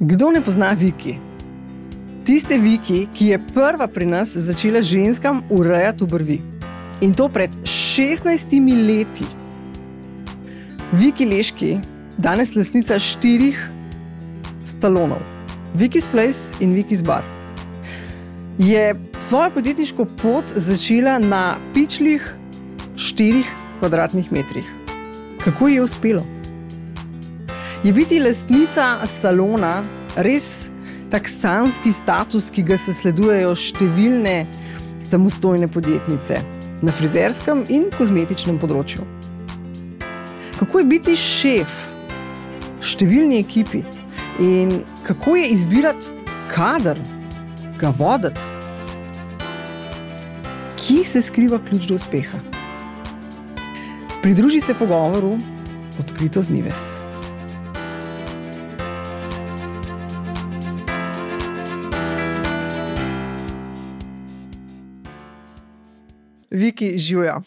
Kdo ne pozna Viki? Tiste Viki, ki je prva pri nas začela ženskam urejati obrvi. In to pred 16 leti. Viki Leški, danes lastnica 4 salonov. Viki's Place in Viki's Bar. Je svojo podjetniško pot začela na pičlih 4 kvadratnih metrih. Kako ji je uspelo? Je biti lastnica salona res tak sanski status, ki ga zasledujejo številne samostojne podjetnice na frizerskem in kozmetičnem področju? Kako je biti šef številni ekipi in kako je izbirati kader, ga voditi? Kje se skriva ključ do uspeha? Pridruži se pogovoru Odkrito z Nives. Viki, živjo.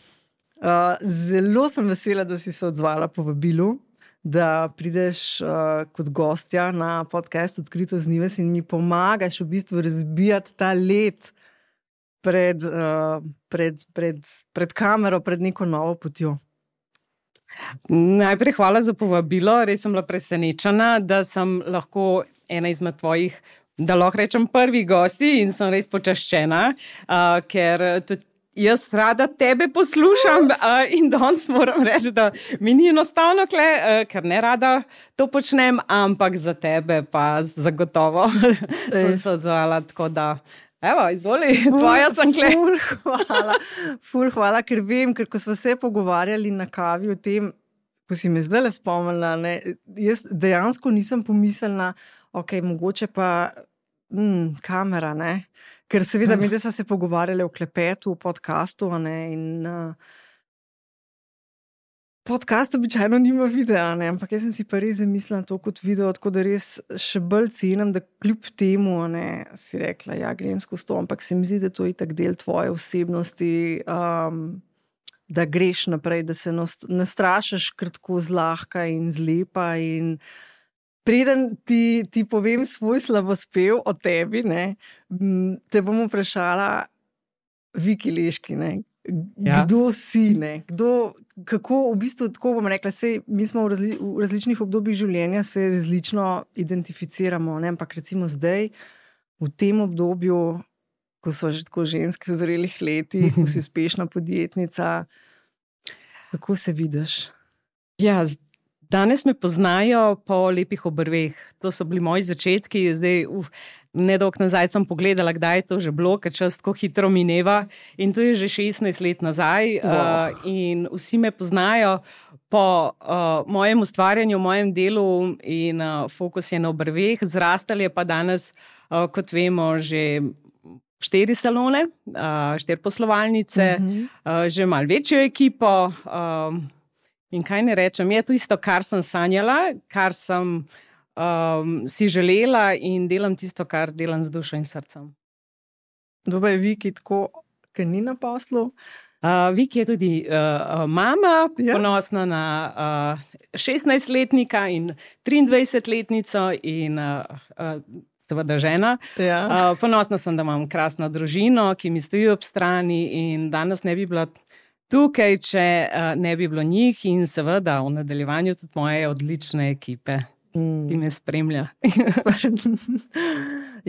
Zelo sem vesela, da si se odzvala povabilu, da prideš kot gostja na podcast Odkrito z Nives in mi pomagaš v bistvu razbijati ta led pred kamero, pred neko novo potjo. Najprej hvala za povabilo. Res sem bila presenečena, da sem lahko ena izmed tvojih, da lahko rečem, prvih gosti in sem res počaščena, ker tudi jaz rada tebe poslušam in danes moram reči, da mi ni enostavno ker ne rada to počnem, ampak za tebe pa zagotovo sem se odzvala, tako da evo, izvoli, tvoja sem kle. Ful hvala, ker vem, ker ko smo se pogovarjali na kavi o tem, ko si me zdaj spomnila, ne, jaz dejansko nisem pomislila, ok, mogoče pa kamera, ne. Ker seveda mi smo se pogovarjali o klepetu, o podcastu, ne, in podcast običajno nima videa, ne, ampak jaz sem si pa res zamislila to kot video, tako da res še bolj cenim, da kljub temu, ne, si rekla, ja, grem skozi to, ampak se mi zdi, da to je tak del tvoje osebnosti, da greš naprej, da se ne strašiš kar tako zlahka in zlepa in preden ti povem svoj slavospev o tebi, ne, te bom vprašala, Viki Leški, ne, kdo si, ne, kako, v bistvu, tako bom rekla, mi smo v različnih obdobjih življenja se različno identificiramo, ne, ampak recimo zdaj, v tem obdobju, ko so že tako ženske v zrelih letih, ko si uspešna podjetnica, kako se vidiš? Ja, danes me poznajo po lepih obrveh. To so bili moji začetki. Zdaj, nedolgo nazaj sem pogledala, kdaj je to že bilo, ker čas tako hitro mineva. In to je že 16 let nazaj. Wow. In vsi me poznajo po mojem ustvarjanju, mojem delu in fokus je na obrveh. Zrastali je pa danes, kot vemo, že 4 salone, 4 poslovalnice, že malo večjo ekipo. In kaj ne rečem, je to isto, kar sem sanjala, kar sem si želela in delam tisto, kar delam z dušo in srcem. Dobro je Viki tako, ker ni na poslu? Viki je tudi mama, ponosna na 16-letnika in 23-letnico in seveda žena. Ja. Ponosna sem, da imam krasno družino, ki mi stoji ob strani in danes ne bi bila tukaj, če ne bi bilo njih in seveda v nadaljevanju tudi moje odlične ekipe, ki me spremlja.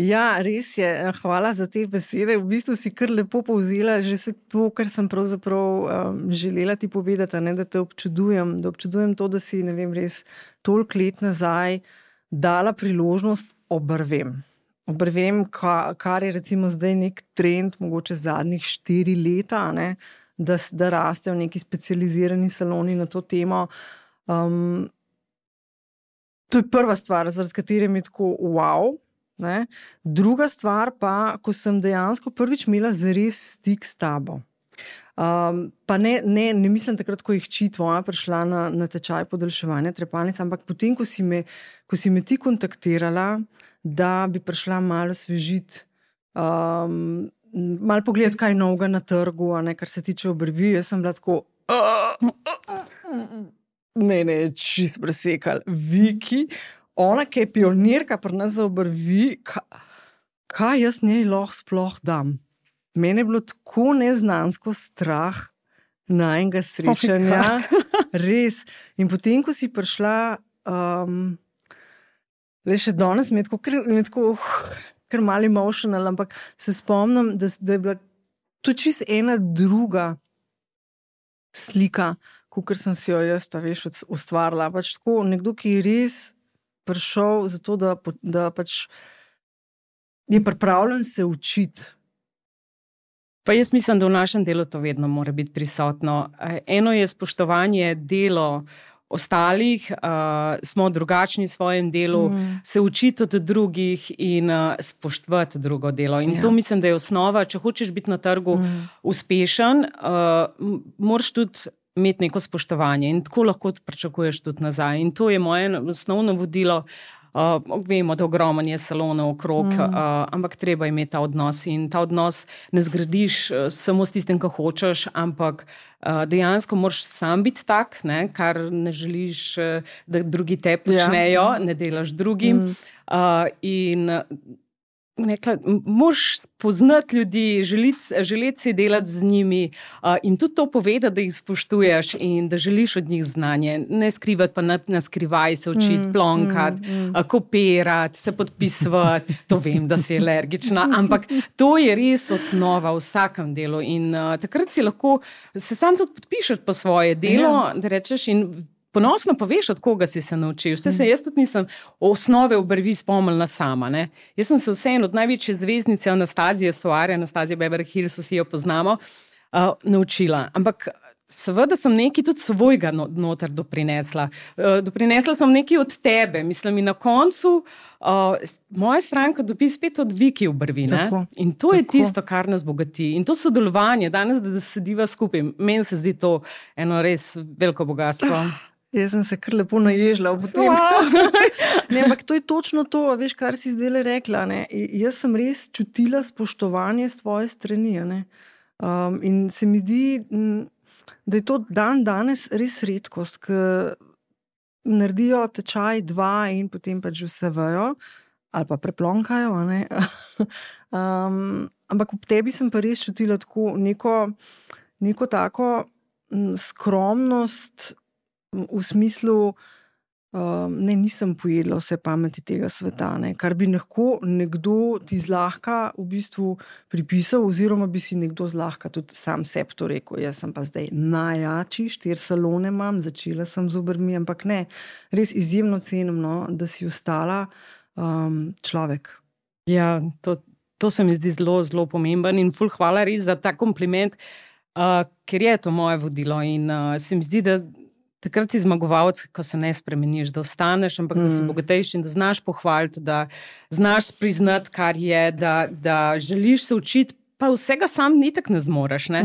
Ja, res je. Hvala za te besede. V bistvu si kar lepo povzela že vse to, kar sem pravzaprav želela ti povedati, ne, da te občudujem, to, da si, ne vem, res toliko let nazaj dala priložnost obrvem. Obrvem, kar je recimo zdaj nek trend, mogoče zadnjih 4 leta, ne, da rastejo neki specializirani saloni na to temo. To je prva stvar, zaradi katere mi je tako wow. Ne? Druga stvar pa, ko sem dejansko prvič imela zares stik s tabo. Pa ne mislim takrat, ko jih tvoja prišla na tečaj podaljševanja trepalnic, ampak potem, ko si me ti kontaktirala, da bi prišla malo osvežiti, malo pogledati, kaj novega na trgu, ne, kar se tiče obrvi, jaz sem bila tako mene je čist presekal. Viki, ona, ki je pionirka pri nas za obrvi, kaj jaz njej lahko sploh dam? Mene je bilo tako neznansko strah najnega srečanja. Res. In potem, ko si prišla, le še danes mi je tako kar malo emotional, ampak se spomnim, da je bila to čisto ena druga slika, kakor sem si jo jaz, ustvarila. Pač tako, nekdo, ki je res prišel zato, da pač je pripravljen se učiti. Pa jaz mislim, da v našem delu to vedno mora biti prisotno. Eno je spoštovanje delo ostalih, smo drugačni v svojem delu, se učiti od drugih in spoštovati drugo delo. In to mislim, da je osnova. Če hočeš biti na trgu uspešen, moraš tudi imeti neko spoštovanje in tako lahko pričakuješ tudi nazaj. In to je moje osnovno vodilo. Vemo, da ogromno je salonov okrog, ampak treba imeti ta odnos in ta odnos ne zgradiš samo s tistim, kar hočeš, ampak dejansko moraš sam biti tak, ne, kar ne želiš, da drugi te počnejo, ne delaš drugim. In moraš spoznati ljudi, želeti si delati z njimi in tudi to povedati, da jih spoštuješ in da želiš od njih znanje. Ne skrivati, pa ne skrivaj se učiti, plonkati, kopirati, se podpisovati. To vem, da si alergična, ampak to je res osnova v vsakem delu in takrat si lahko se sam tudi podpišeš po svoje delo, da rečeš in ponosno poveš, od koga si se naučil. Jaz tudi nisem osnove obrvi spomnila sama. Ne? Jaz sem se vseeno od največje zvezdnice Anastazije Soare, Anastazije Beverly Hills, vsi jo poznamo, naučila. Ampak seveda sem nekaj tudi svojega noter doprinesla. Doprinesla sem nekaj od tebe. Mislim, in na koncu moja stranka dobi spet od Viki obrvi. In to je tisto, kar nas bogati. In to sodelovanje, danes, da sediva skupaj, meni se zdi to eno res veliko bogatstvo. Jaz sem se kar lepo naježila ob tem. Ne, ampak to je točno to, veš, kar si zdaj rekla. Ne? Jaz sem res čutila spoštovanje s tvoje strani. Ne? In se mi zdi, da je to danes res redkost, ker naredijo tečaj 2 in potem pač vse vejo ali pa preplonkajo. Ne? Ampak ob tebi sem pa res čutila tako neko tako skromnost, v smislu, nisem pojedla vse pameti tega sveta, ne? Kar bi lahko nekdo ti zlahka v bistvu pripisal, oziroma bi si nekdo zlahka tudi sam sebi to rekel. Jaz sem pa zdaj najjači, 4 salone imam, začela sem z obrvmi, ampak ne, res izjemno cenim, no, da si ostala človek. Ja, to se mi zdi zelo, zelo pomemben in ful hvala res za ta kompliment, ker je to moje vodilo in se mi zdi, da takrat si zmagovalec, ko se ne spremeniš, da ostaneš, ampak da si bogatejši in da znaš pohvaliti, da znaš priznati, kar je, da želiš se učiti, pa vsega sam nitak ne zmoreš. Ne?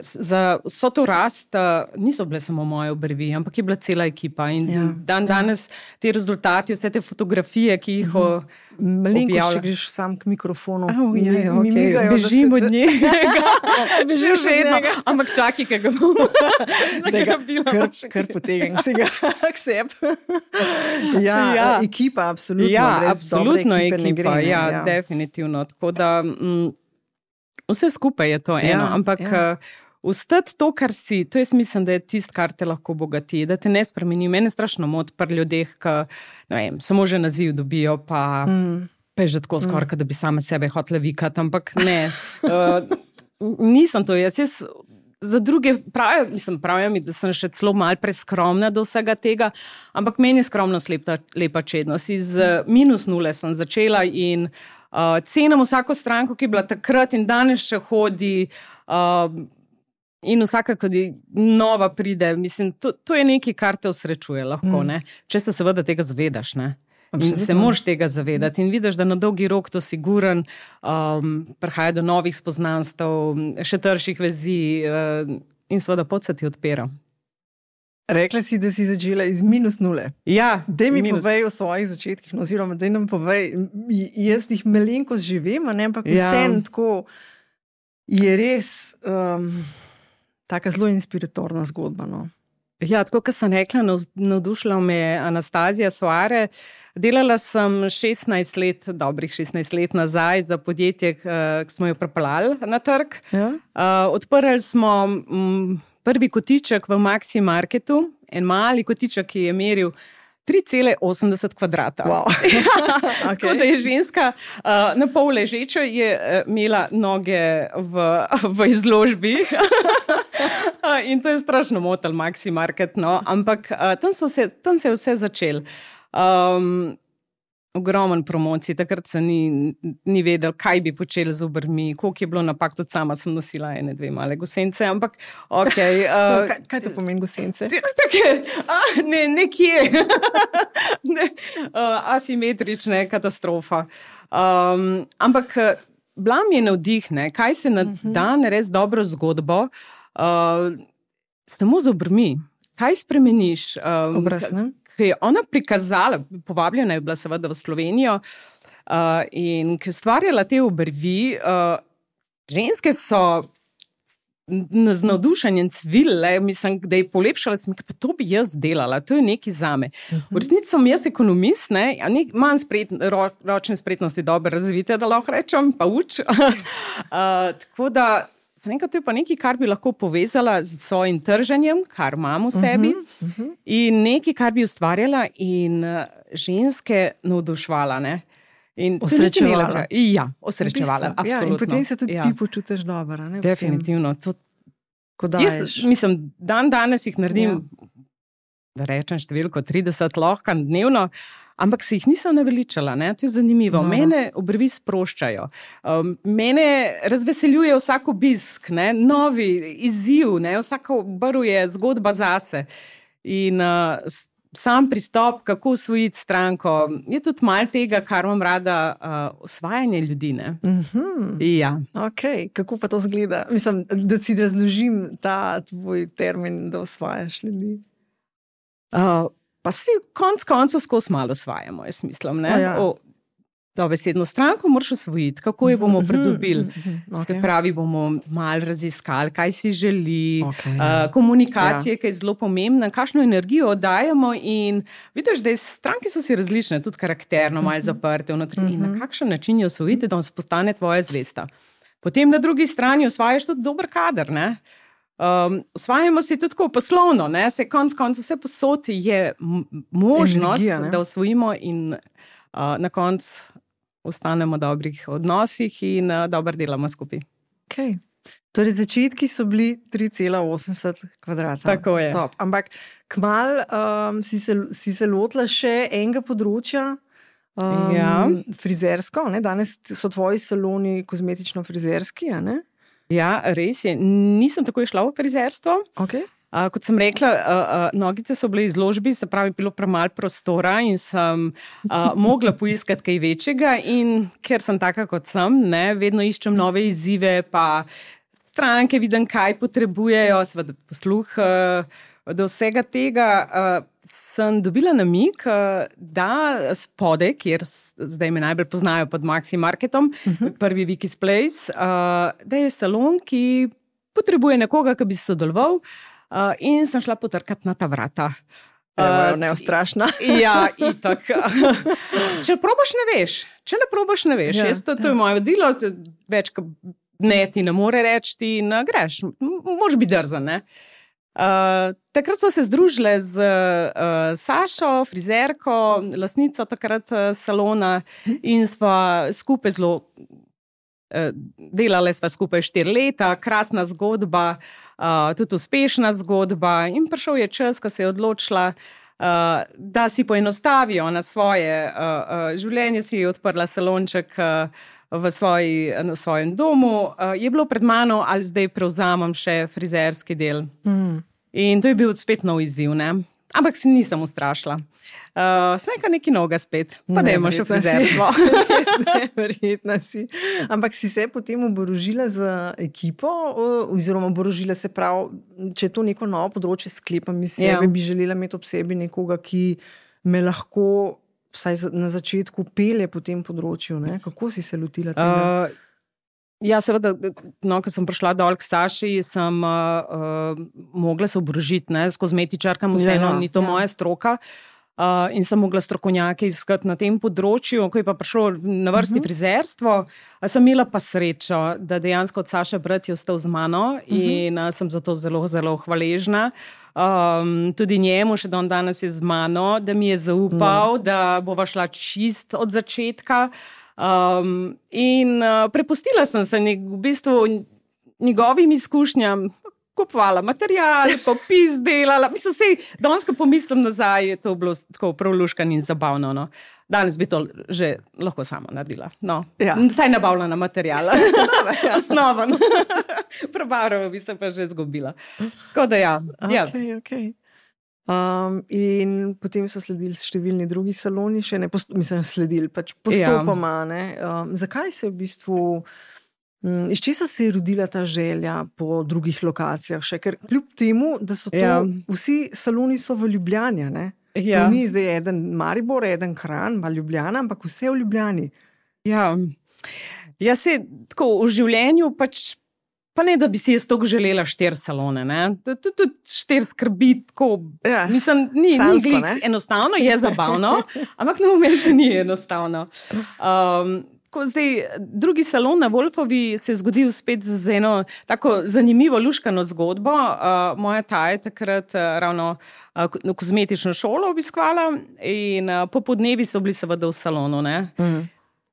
Za vso to rast niso bile samo moje obrvi, ampak je bila cela ekipa in danes te rezultati, vse te fotografije, ki jih malenko še greš sam k mikrofonu. Bežim od njega. Bežim še vedno. Ampak čakaj, kaj ga bomo nagrabila. Kar potegam si ga k sebi. Ekipa, absolutno. Ja, absolutno ekipa, definitivno. Tako da vse skupaj je to eno, ampak ostati to, kar si, to jaz mislim, da je tist, kar te lahko bogati, da te ne spremeni. Mene strašno moti pri ljudeh, ki, ne vem, samo že naziv dobijo, pa je že tako skoraj, da bi same sebe hotela vikati, ampak ne. Nisem to, jaz za druge pravijo mi, da sem še celo malo preskromna do vsega tega, ampak meni je skromnost lepa čednost. Iz -0 sem začela in cenim vsako stranko, ki je bila takrat in danes še hodi in vsaka, ko nova pride. Mislim, to je nekaj, kar te osrečuje lahko, ne? Če se seveda tega zavedaš, ne? In se moraš tega zavedati in vidiš, da na dolgi rok to siguren, prihaja do novih spoznanstev, še trših vezi in seveda pot se ti odpira. Rekla si, da si začela iz -0. Ja. Daj mi povej o svojih začetkih, oziroma daj nam povej, jaz jih malenkost živim, ampak vseeno tako je res taka zelo inspiratorna zgodba, no. Ja, tako kot sem rekla, navdušila me je Anastazija Soare. Delala sem dobrih 16 let nazaj za podjetje, ki smo jo pripeljali na trg. Ja. Odprli smo prvi kotiček v Maxi Marketu, en mali kotiček, ki je meril 3,80 kvadrata. Wow. Tako da je ženska na pol ležečo, je imela noge v izložbi. In to je strašno motil Maxi Market, no. Ampak tam se je vse začelo. Ogromen promocij, takrat se ni vedel, kaj bi počeli z obrvmi, koliko je bilo napak, tudi sama sem nosila 1-2 male gosence, ampak okej. Kaj to pomeni gosence? Nekje. Asimetrične, katastrofa. Ampak bila mi je navdih, kaj se da narediti dobro zgodbo, samo z obrvmi. Kaj spremeniš? Obraz, ne? Ki je ona prikazala, povabljena je bila seveda v Slovenijo, in ki je ustvarjala te obrvi, ženske so z navdušenjem cvile, mislim, da je polepšala, pa to bi jaz delala, to je nekaj zame. V resnici sem jaz ekonomist, manj ročne spretnosti dobro razvite, da lahko rečem, pa uč. Tako da to je pa nekaj, kar bi lahko povezala z svojim trženjem, kar imam v sebi, in nekaj, kar bi ustvarjala in ženske navdušvala. Osrečevala. Ja, osrečevala, absolutno. Ja, in potem se tudi ti počutiš dobro. Definitivno. Jaz, mislim, danes jih naredim, da rečem številko 30 lahko dnevno, ampak se jih nisem naveličala, to je zanimivo. Mene obrvi sproščajo. Mene razveseljuje vsak obisk, novi izziv, vsaka obrv je zgodba zase. In sam pristop, kako osvojiti stranko, je tudi malo tega, kar imam rada, osvajanje ljudi. Ja. Okay. Kako pa to zgleda? Mislim, da si razložim ta tvoj termin, da osvajaš ljudi. Pa si konc koncev skozi malo osvajamo, jaz mislim. Dobesedno stranko moraš osvojiti, kako jo bomo pridobili. Se pravi, bomo malo raziskali, kaj si želi, komunikacije, ki je zelo pomembna, kakšno energijo oddajamo, in vidiš, da stranke so si različne, tudi karakterno, malo zaprte vnotri, in na kakšen način jo osvojiti, da postane tvoja zvesta. Potem na drugi strani osvajaš tudi dober kader, osvajamo si tudi tako poslovno, se konc vse posod je možnost, energija, da osvojimo in na koncu ostanemo v dobrih odnosih in dobro delamo skupaj. Okay. Torej, začetki so bili 3,80 kvadrata. Tako je. Top. Ampak kmalu si se lotila še enega področja, frizersko. Danes so tvoji saloni kozmetično-frizerski, ne? Ja, res je. Nisem takoj šla v frizerstvo. Okay. Kot sem rekla, nogice so bile izložbi, se pravi, bilo premalo prostora in sem mogla poiskati kaj večjega, in ker sem taka kot sem, vedno iščem nove izzive, pa stranke vidim, kaj potrebujejo, seveda posluh do vsega tega. Sem dobila namig, da spode, kjer zdaj me najbolj poznajo pod Maxi Marketom, prvi Vicky's Place, da je salon, ki potrebuje nekoga, ki bi sodeloval, in sem šla potrkati na ta vrata. Neustrašna. Ja, itak. Če probaš, ne veš. Če ne probaš, ne veš. To je moje delo, več ne ti ne more reči, in greš. Moraš biti drzen, takrat so se združile z Sašo, frizerko, lastnico takrat salona, in sva skupaj delale sva skupaj 4 leta, krasna zgodba, tudi uspešna zgodba, in prišel je čas, ko se je odločila, da si poenostavijo na svoje življenje, si je odprla salonček v svojem domu. Je bilo pred mano, ali zdaj prevzamem še frizerski del. In to je bil spet nov izziv, ampak si nisem ustrašila. Sneka neki noga spet, pa dajmo še frizerstvo. Verjetno si. Ampak si se potem oborožila z ekipo, oziroma oborožila se prav, če je to neko novo področje, sklepam iz sebe, bi želela imeti ob sebi nekoga, ki me lahko vsaj na začetku pelje po tem področju. Kako si se lotila tega? Ja, seveda, no, ko sem prišla dol k Saši, sem mogla se oborožiti, ne, s kozmetičarkami, vseeno, ni to moja stroka. In sem mogla strokovnjake iskati na tem področju, ko je pa prišlo na vrsti frizerstvo, sem imela pa srečo, da dejansko od Saše brat je ostal z mano in sem za to zelo, zelo hvaležna. Tudi njemu še danes je z mano, da mi je zaupal, da bova šla čist od začetka. In prepustila sem se v bistvu njegovim izkušnjam, kupovala material, popis delala. Mislim, danes, ko pomislim nazaj, je to bilo tako prav luškano in zabavno. No. Danes bi to že lahko sama naredila. No. Ja. Saj nabavljena materiala. Osnova. No. Prebarava bi se pa že zgubila. Tako da ja. Okay. In potem so sledili številni drugi saloni, še ne, sledili pač postopoma. Ne? Zakaj se v bistvu, iz česa se je rodila ta želja po drugih lokacijah še? Ker kljub temu, da so to, vsi saloni so v Ljubljani, ne? To ni zdaj eden Maribor, eden Kranj, pa Ljubljana, ampak vse v Ljubljani. Ja, se tako v življenju pač pa ne, da bi si jaz toliko želela 4 salone, ne. Tudi 4 skrbi tako, mislim, ni glih enostavno, je zabavno, ampak na momentu ni enostavno. Zdaj, drugi salon na Wolfovi se je zgodil spet z eno tako zanimivo luškano zgodbo. Moja ta je takrat ravno kozmetično šolo obiskvala in popodnevi so bili seveda v salonu, ne.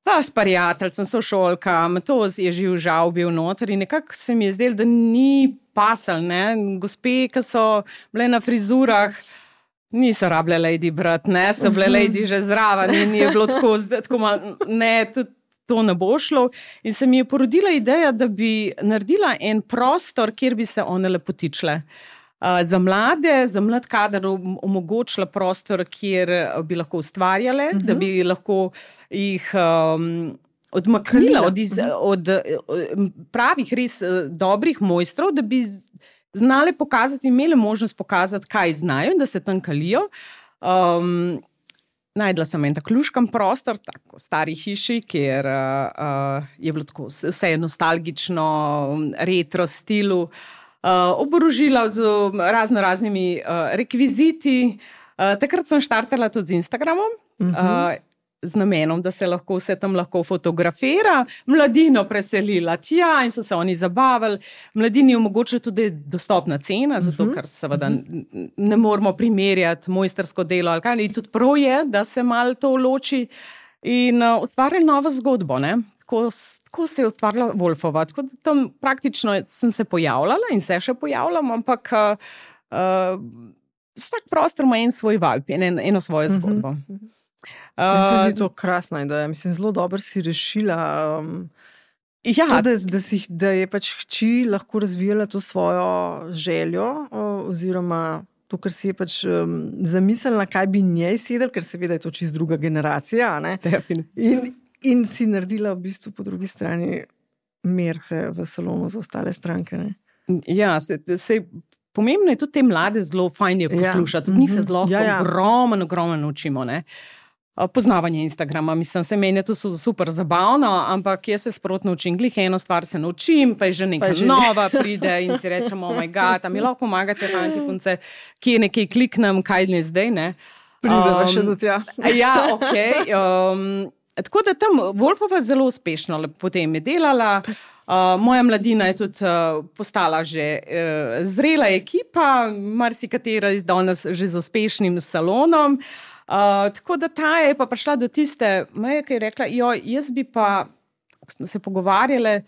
S prijateljcem, sošolkam, to je živ žal bil noter in nekako se mi je zdelo, da ni pasal, ne. Gospe, ki so bile na frizurah, niso rabile lady brat, ne, so bile lady že zraven in je bilo tako malo, ne, tudi to ne bo šlo. In se mi je porodila ideja, da bi naredila en prostor, kjer bi se one lepotičile. Za mlade, za mlad kader omogočila prostor, kjer bi lahko ustvarjale, da bi lahko jih odmaknila od pravih, res dobrih mojstrov, da bi znale pokazati, imele možnost pokazati, kaj znajo in da se tam kalijo. Najdla sem en tak luškan prostor, tako v stari hiši, kjer je bilo tako vse nostalgično, retro stilu, oborožila z raznimi rekviziti. Takrat sem štartala tudi z Instagramom, z namenom, da se lahko vse tam lahko fotografira, mladino preselila tja in so se oni zabavili. Mladini omogočajo tudi dostopna cena, zato ker seveda ne moramo primerjati mojstersko delo ali kaj. In tudi prav je, da se malo to loči in ustvarjali novo zgodbo, ne. Tako se je ustvarila Wolfova. Tako da tam praktično sem se pojavljala in se še pojavljam, ampak vsak prostor ima en svoj vibe, eno svojo zgodbo. Meni se zdi to krasna ideja. Mislim, zelo dobro si rešila da je pač hči lahko razvijala to svojo željo oziroma to, kar si je pač zamislila, kaj bi njej sedel, ker seveda je to čist druga generacija, ne? In si naredila v bistvu po drugi strani merce v salonu za ostale stranke, ne? Ja, pomembno je tudi te mlade zelo fajn je poslušati, tudi njih se zelo ogromno naučimo, ne. Poznavanje Instagrama, mislim, se meni to super zabavno, ampak jaz se sprotno učim, glih eno stvar se naučim, pa je že nekaj nova pride in si rečemo, oh my god, a mi lahko pomagate, fanti, punce, kje nekaj kliknem, kaj ne zdaj, ne. Prideva še do tja. Ja, okej. Tako da tam Wolfova zelo uspešno potem je delala. Moja mladina je tudi postala že zrela ekipa, marsikatera danes že z uspešnim salonom. Tako da ta je pa prišla do tiste meje, ki je rekla, jaz bi pa, smo se pogovarjale,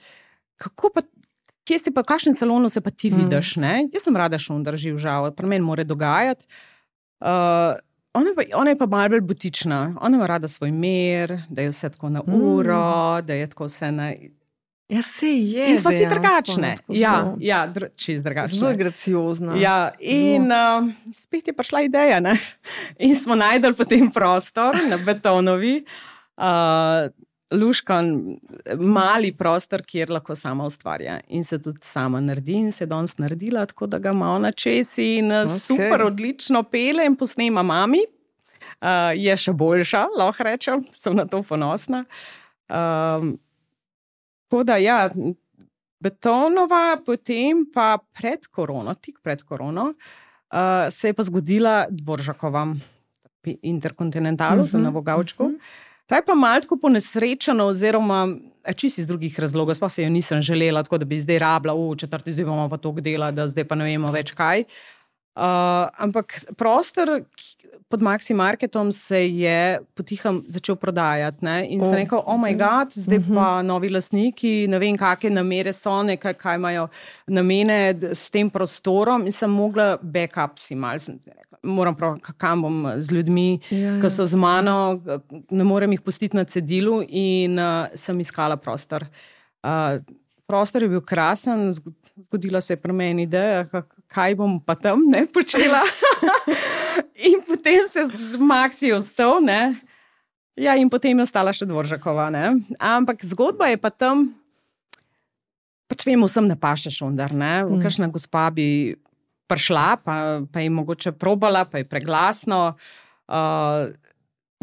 v kakšnem salonu se pa ti vidiš, ne? Jaz sem rada šundar živ žal, pri meni mora dogajati. Ona je pa malo bolj butična, ona ima rada svoj mir, da je vse tako na uro, da je tako vse na... Ja, se je. In smo si drugačne. Čist drugačne. Zelo graciozna. Ja, in spet je prišla ideja, ne? In smo najdeli potem prostor na Betonovi, luškan, mali prostor, kjer lahko sama ustvarja. In se tudi sama naredi in se danes naredila, tako da ga ima ona čez in super, odlično pele in posnema mami. Je še boljša, lahko rečem, sem na to ponosna. Tako da, ja, Betonova, potem pa tik pred korono, se je pa zgodila Dvoržakova Interkontinentalu, na Vogavčku. Ta je pa malo tako ponesrečena, oziroma čisto iz drugih razlogov, sploh se jo nisem želela, tako da bi zdaj rabila, četrti zdaj bomo pa toliko dela, da zdaj pa ne vemo več kaj. Ampak prostor pod Maxi Marketom se je potiham začel prodajati, ne? In sem rekel, oh my god, zdaj pa novi lastniki, ne vem, kakšne namere so, kaj imajo namene s tem prostorom, in sem mogla backup si malo, moram prav, kam bom z ljudmi, ki so z mano, ne morem jih pustiti na cedilu, in sem iskala prostor. Prostor je bil krasen, zgodila se je pri meni ideja, kaj bom pa tam počela. In potem se Maxi ostal, ne. Ja, in potem je ostala še Dvoržakova, ne. Ampak zgodba je pa tam, pač vemo, vsem ne paše šundar, ne. Kakšna gospa bi prišla, pa je mogoče probala, pa je preglasno.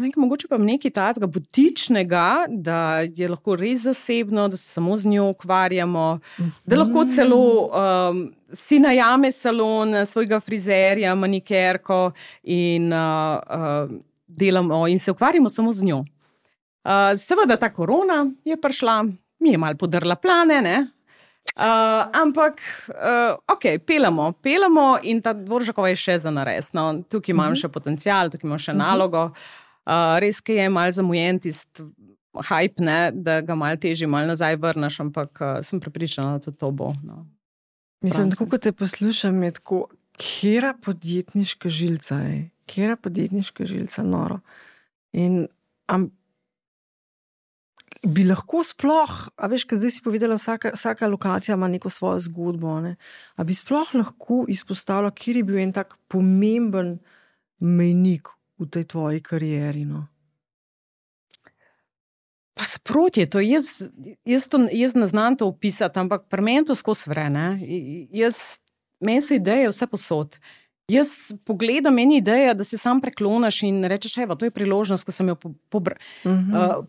Mogoče pa nekaj takega butičnega, da je lahko res zasebno, da se samo z njo ukvarjamo, da lahko celo si najame salon svojega frizerja, manikerko in delamo in se ukvarjamo samo z njo. Seveda ta korona je prišla, mi je malo podrla plane, ne? Ampak pelamo in ta Dvoržakova je še za nares, no. Tukaj imam še potencial, tukaj imam še nalogo. Res, ki je malo zamujen tisti hype, ne, da ga malo težje, malo nazaj vrneš, ampak sem prepričana, da to bo. No. Mislim, tako kot te poslušam, je tako, kjera podjetniška žilca je, kjera podjetniška žilca, noro. In bi lahko sploh, a veš, kaj zdaj si povedala, vsaka lokacija ima neko svojo zgodbo, ne? A bi sploh lahko izpostavila, kjer je bil en tak pomemben mejnik v tej tvoji karieri, no? Pa sproti je to, jaz ne znam to opisati, ampak pri meni to skozi vre, ne. Meni so ideje vse posod. Jaz pogledam meni ideja, da se sam prekloniš in rečeš, evo, to je priložnost, ko sem jo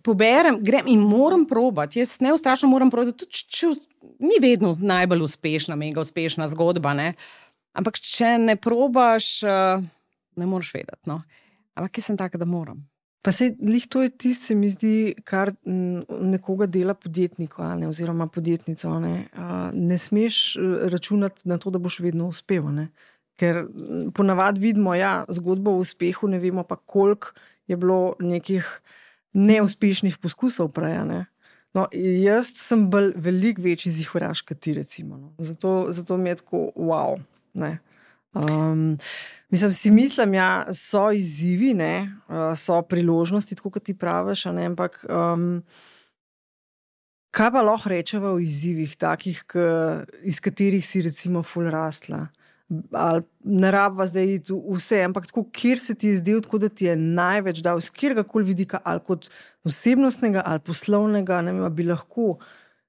poberem, grem in moram probati. Jaz neustrašno moram probati, tudi če ni vedno najbolj uspešna, mega uspešna zgodba, ne. Ampak če ne probaš, ne moreš vedeti, no. Ampak jaz sem taka, da moram. Pa sej, lih to je tisto, se mi zdi, kar nekoga dela podjetnika, ne, oziroma podjetnico, ne. Ne smeš računati na to, da boš vedno uspel, ne. Ker ponavadi vidimo, ja, zgodbo o uspehu, ne vemo pa, koliko je bilo nekih neuspešnih poskusov prej, ne. No, jaz sem bolj veliko večji zihuraš, kot ti, recimo, no. Zato mi je tako, wow, ne. Mislim, ja, so izzivi, ne, so priložnosti, tako kot ti praviš, ne, ampak kaj pa lahko rečeva o izzivih takih, iz katerih si recimo ful rastla? Ali ne rabva zdaj vse, ampak tako, kjer se ti je zdel, tako da ti je največ dal, z kjergakoli vidika, ali kot osebnostnega, ali poslovnega, ne vem, bi lahko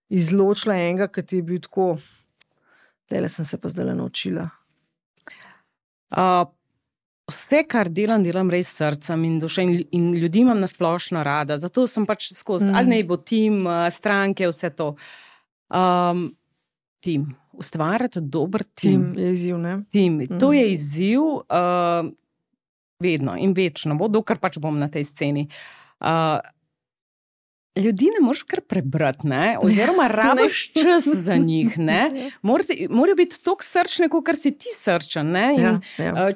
izločila enega, ki ti je bil tako, tele sem se pa zdaj naučila. Vse, kar delam res s srcem in dušo in ljudi imam nasplošno rada, zato sem pač skozi, ali naj bo tim, stranke, vse to. Tim, ustvarjati dober tim. Tim je izziv, ne? Tim, to je izziv vedno in večno, bo, dokler pač bom na tej sceni. Ljudi ne moreš kar prebrati, ne? Oziroma rabiš čas za njih, ne? Morajo biti toliko srčni, kot si ti srčen, ne? In,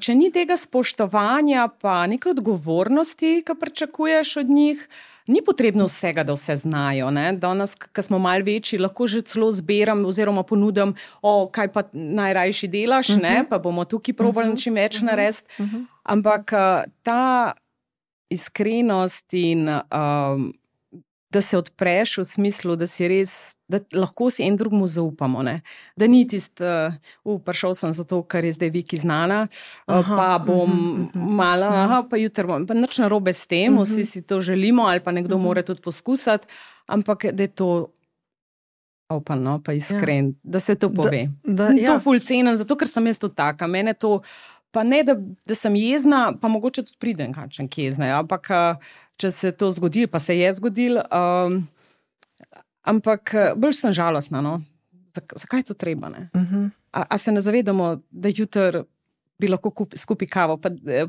če ni tega spoštovanja pa neke odgovornosti, ki pričakuješ od njih, ni potrebno vsega, da vse znajo, ne? Danes, ko smo malo večji, lahko že celo zberam oziroma ponudim, kaj pa najrajši delaš, ne? Pa bomo tukaj probali čim več narediti. Ampak ta iskrenost in da se odpreš v smislu, da si res, da lahko si en drugmu zaupamo, ne. Da ni tist, prišel sem zato, ker je zdaj Viki znana, pa bom mala, pa jutri bom, pa nič narobe s tem, vsi si to želimo, ali pa nekdo mora tudi poskusiti, ampak da je to open, no, pa iskren, da se to pove. To ful cenim, zato ker sem jaz to taka, mene to, pa ne, da sem jezna, pa mogoče tudi pridem kakšen kje jezna, ampak če se to zgodi, pa se je zgodil, Ampak bolj sem žalostna, no. Zakaj je to treba, ne? A se ne zavedamo, da jutri bi lahko skupaj kavo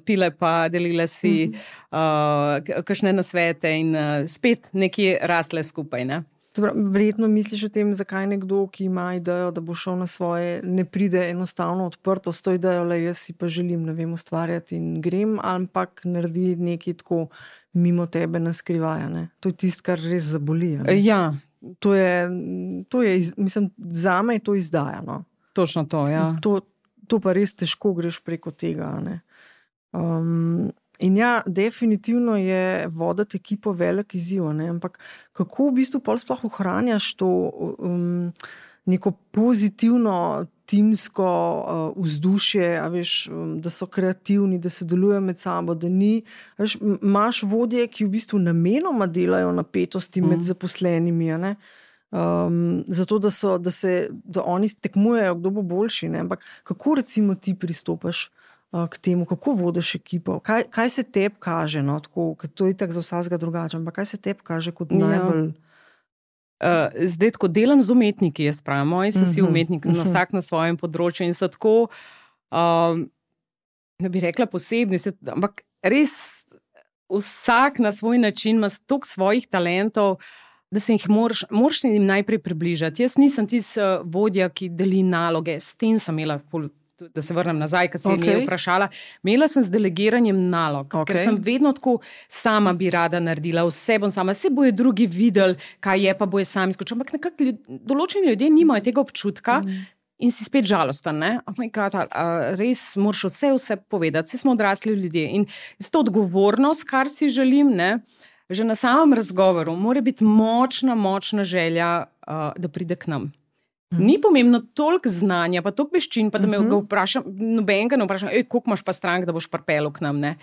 pile pa delile si kakšne nasvete in spet nekje rasle skupaj, ne? Verjetno misliš o tem, zakaj nekdo, ki ima idejo, da bo šel na svoje, ne pride enostavno odprto s to idejo, le jaz si pa želim, ne vem, ustvarjati in grem, ampak naredi nekaj tako mimo tebe na skrivaj, ne? To je tisto, kar res zaboli, ne? Ja. To je, mislim, zame je to izdaja, no. Točno to, ja. To pa res težko greš preko tega, ne. In ja, definitivno je voditi ekipo velik izziv, ne, ampak kako v bistvu pol sploh ohranjaš to neko pozitivno timsko vzdušje, a veš, da so kreativni, da se delujejo med sabo, da ni, a veš, imaš vodje, ki v bistvu namenoma delajo napetosti med zaposlenimi, a ne, zato, da oni tekmujejo, kdo bo boljši, ne, ampak kako recimo ti pristopaš k temu, kako vodiš ekipo, kaj se tebi kaže, no, tako, to je tako za vsakega drugače, ampak kaj se tebi kaže kot najbolj... Zdaj, tako delam z umetniki, jaz pravim, moji so vsi umetniki, vsak na svojem področju in so tako, ne bi rekla posebni, ampak res vsak na svoj način ima toliko svojih talentov, da se jih moraš jim najprej približati. Jaz nisem tisti vodja, ki deli naloge, s tem sem imela da se vrnem nazaj, ker se je vprašala. Imela sem z delegiranjem nalog, ker sem vedno tako sama bi rada naredila, vse bom sama, vse bojo drugi videli, kaj je, pa bojo sami skočili. Ampak nekako določeni ljudje nimajo tega občutka in si spet žalosten, ne? Oh my God, res moraš vse povedati, vse smo odrasli ljudje in s to odgovornost, kar si želim, ne? Že na samem razgovoru mora biti močna želja, da pride k nam. Ni pomembno toliko znanja, pa toliko veščin, pa da me ga vprašam, nobenega ne vprašam, koliko imaš pa strank, da boš pripeljal k nam, ne?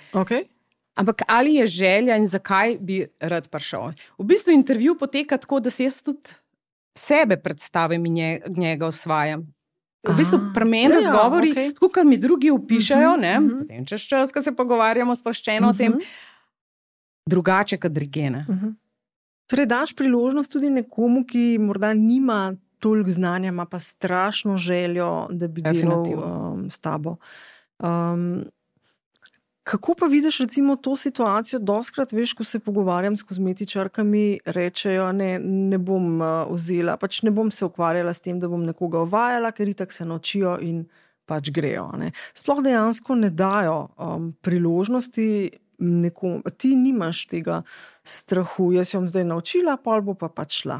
Ampak ali je želja in zakaj bi rad prišel? V bistvu intervju poteka tako, da se jaz tudi sebe predstavim in njega osvajam. V bistvu pri meni razgovori, tako kar mi drugi opišajo, ne? Potem čez čas, ko se pogovarjamo sproščeno o tem, drugače kot dirigene. Torej daš priložnost tudi nekomu, ki morda nima toliko znanja, ima pa strašno željo, da bi delal s tabo. Kako pa vidiš recimo to situacijo? Doskrat, veš, ko se pogovarjam s kozmetičarkami, rečejo, ne bom vzela, pač ne bom se ukvarjala s tem, da bom nekoga uvajala, ker itak se naučijo in pač grejo, ne. Sploh dejansko ne dajo priložnosti nekomu. Ti nimaš tega strahu, jaz jo bom zdaj naučila, pol bo pa pač šla.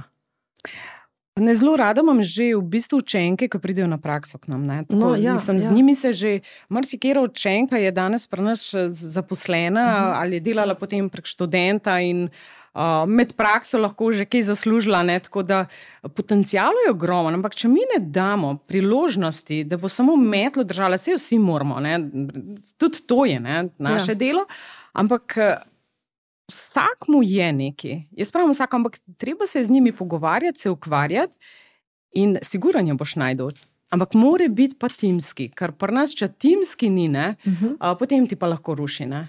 Ne, zelo rada imam že v bistvu učenke, ki pridejo na prakso k nam. Tako, z njimi se že marsikera učenka je danes pri nas zaposlena ali je delala potem prek študenta in med prakso lahko že kaj zaslužila, ne? Tako da potencial je ogromen, ampak če mi ne damo priložnosti, da bo samo metlo držala, saj vsi moramo, ne? Tudi to je, ne? Naše delo, ampak vsak mu je neki. Jaz pravim vsak, ampak treba se z njimi pogovarjati, se ukvarjati in sigurno boš najdel. Ampak mora biti pa timski, ker pri nas, če timski ni, ne, potem ti pa lahko ruši, ne.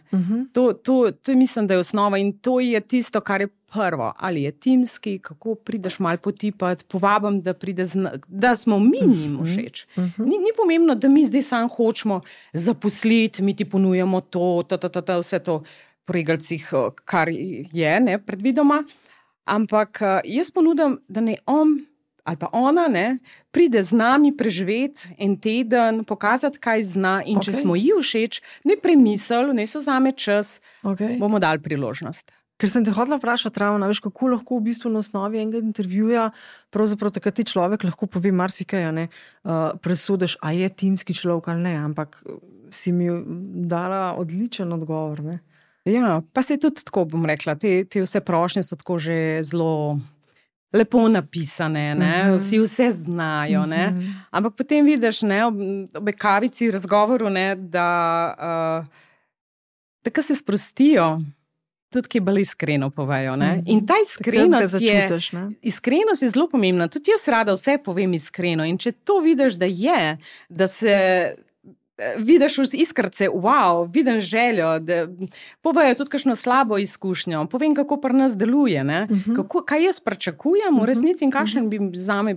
To mislim, da je osnova in to je tisto, kar je prvo. Ali je timski, kako prideš malo potipati, povabim, da pride, da smo mi njim všeč. Ni pomembno, da mi zdaj sam hočemo zaposliti, mi ti ponujamo to, vse to pregalcih, kar je, ne, predvidoma, ampak jaz ponudim, da ne on ali pa ona, ne, pride z nami preživeti en teden, pokazati, kaj zna in če smo ji všeč, ne premisel, ne so zame čas, bomo dali priložnost. Ker sem te hodila vprašati ravno, veš, kako lahko v bistvu na osnovi enega intervjuja, pravzaprav takrat ti človek lahko pove marsikaj, ne, presudeš, a je timski človek ali ne, ampak si mi dala odličen odgovor, ne. Ja, pa se tudi tako, bom rekla, te vse prošnje so tako že zelo lepo napisane, ne, vsi vse znajo, ne, ampak potem vidiš, ne, ob kavici razgovoru, ne, da tako se sprostijo, tudi ki bolj iskreno povejo, ne, in ta iskrenost je zelo pomembna, tudi jaz rada vse povem iskreno in če to vidiš, da je, da se vidiš iskrce, wow, vidim željo, da povejo tudi kakšno slabo izkušnjo, povem, kako pri nas deluje, ne? Kaj jaz pričakujem v resnici in kakšen bi zame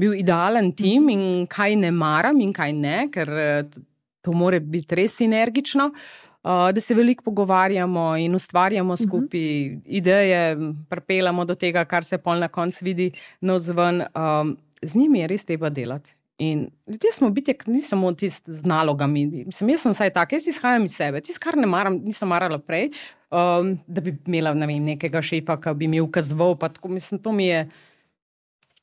bil idealen tim in kaj ne maram in kaj ne, ker to mora biti res sinergično, da se veliko pogovarjamo in ustvarjamo skupaj ideje, pripeljamo do tega, kar se pol na koncu vidi navzven. Z njimi je res treba delati. In ljudje smo biti, ni samo tisti z nalogami. Jaz sem saj tak, jaz izhajam iz sebe. Tisto, kar ne maram, nisem marala prej, da bi imela, ne vem, nekega šefa, ki bi mi ukazoval, pa tako, mislim, to mi je...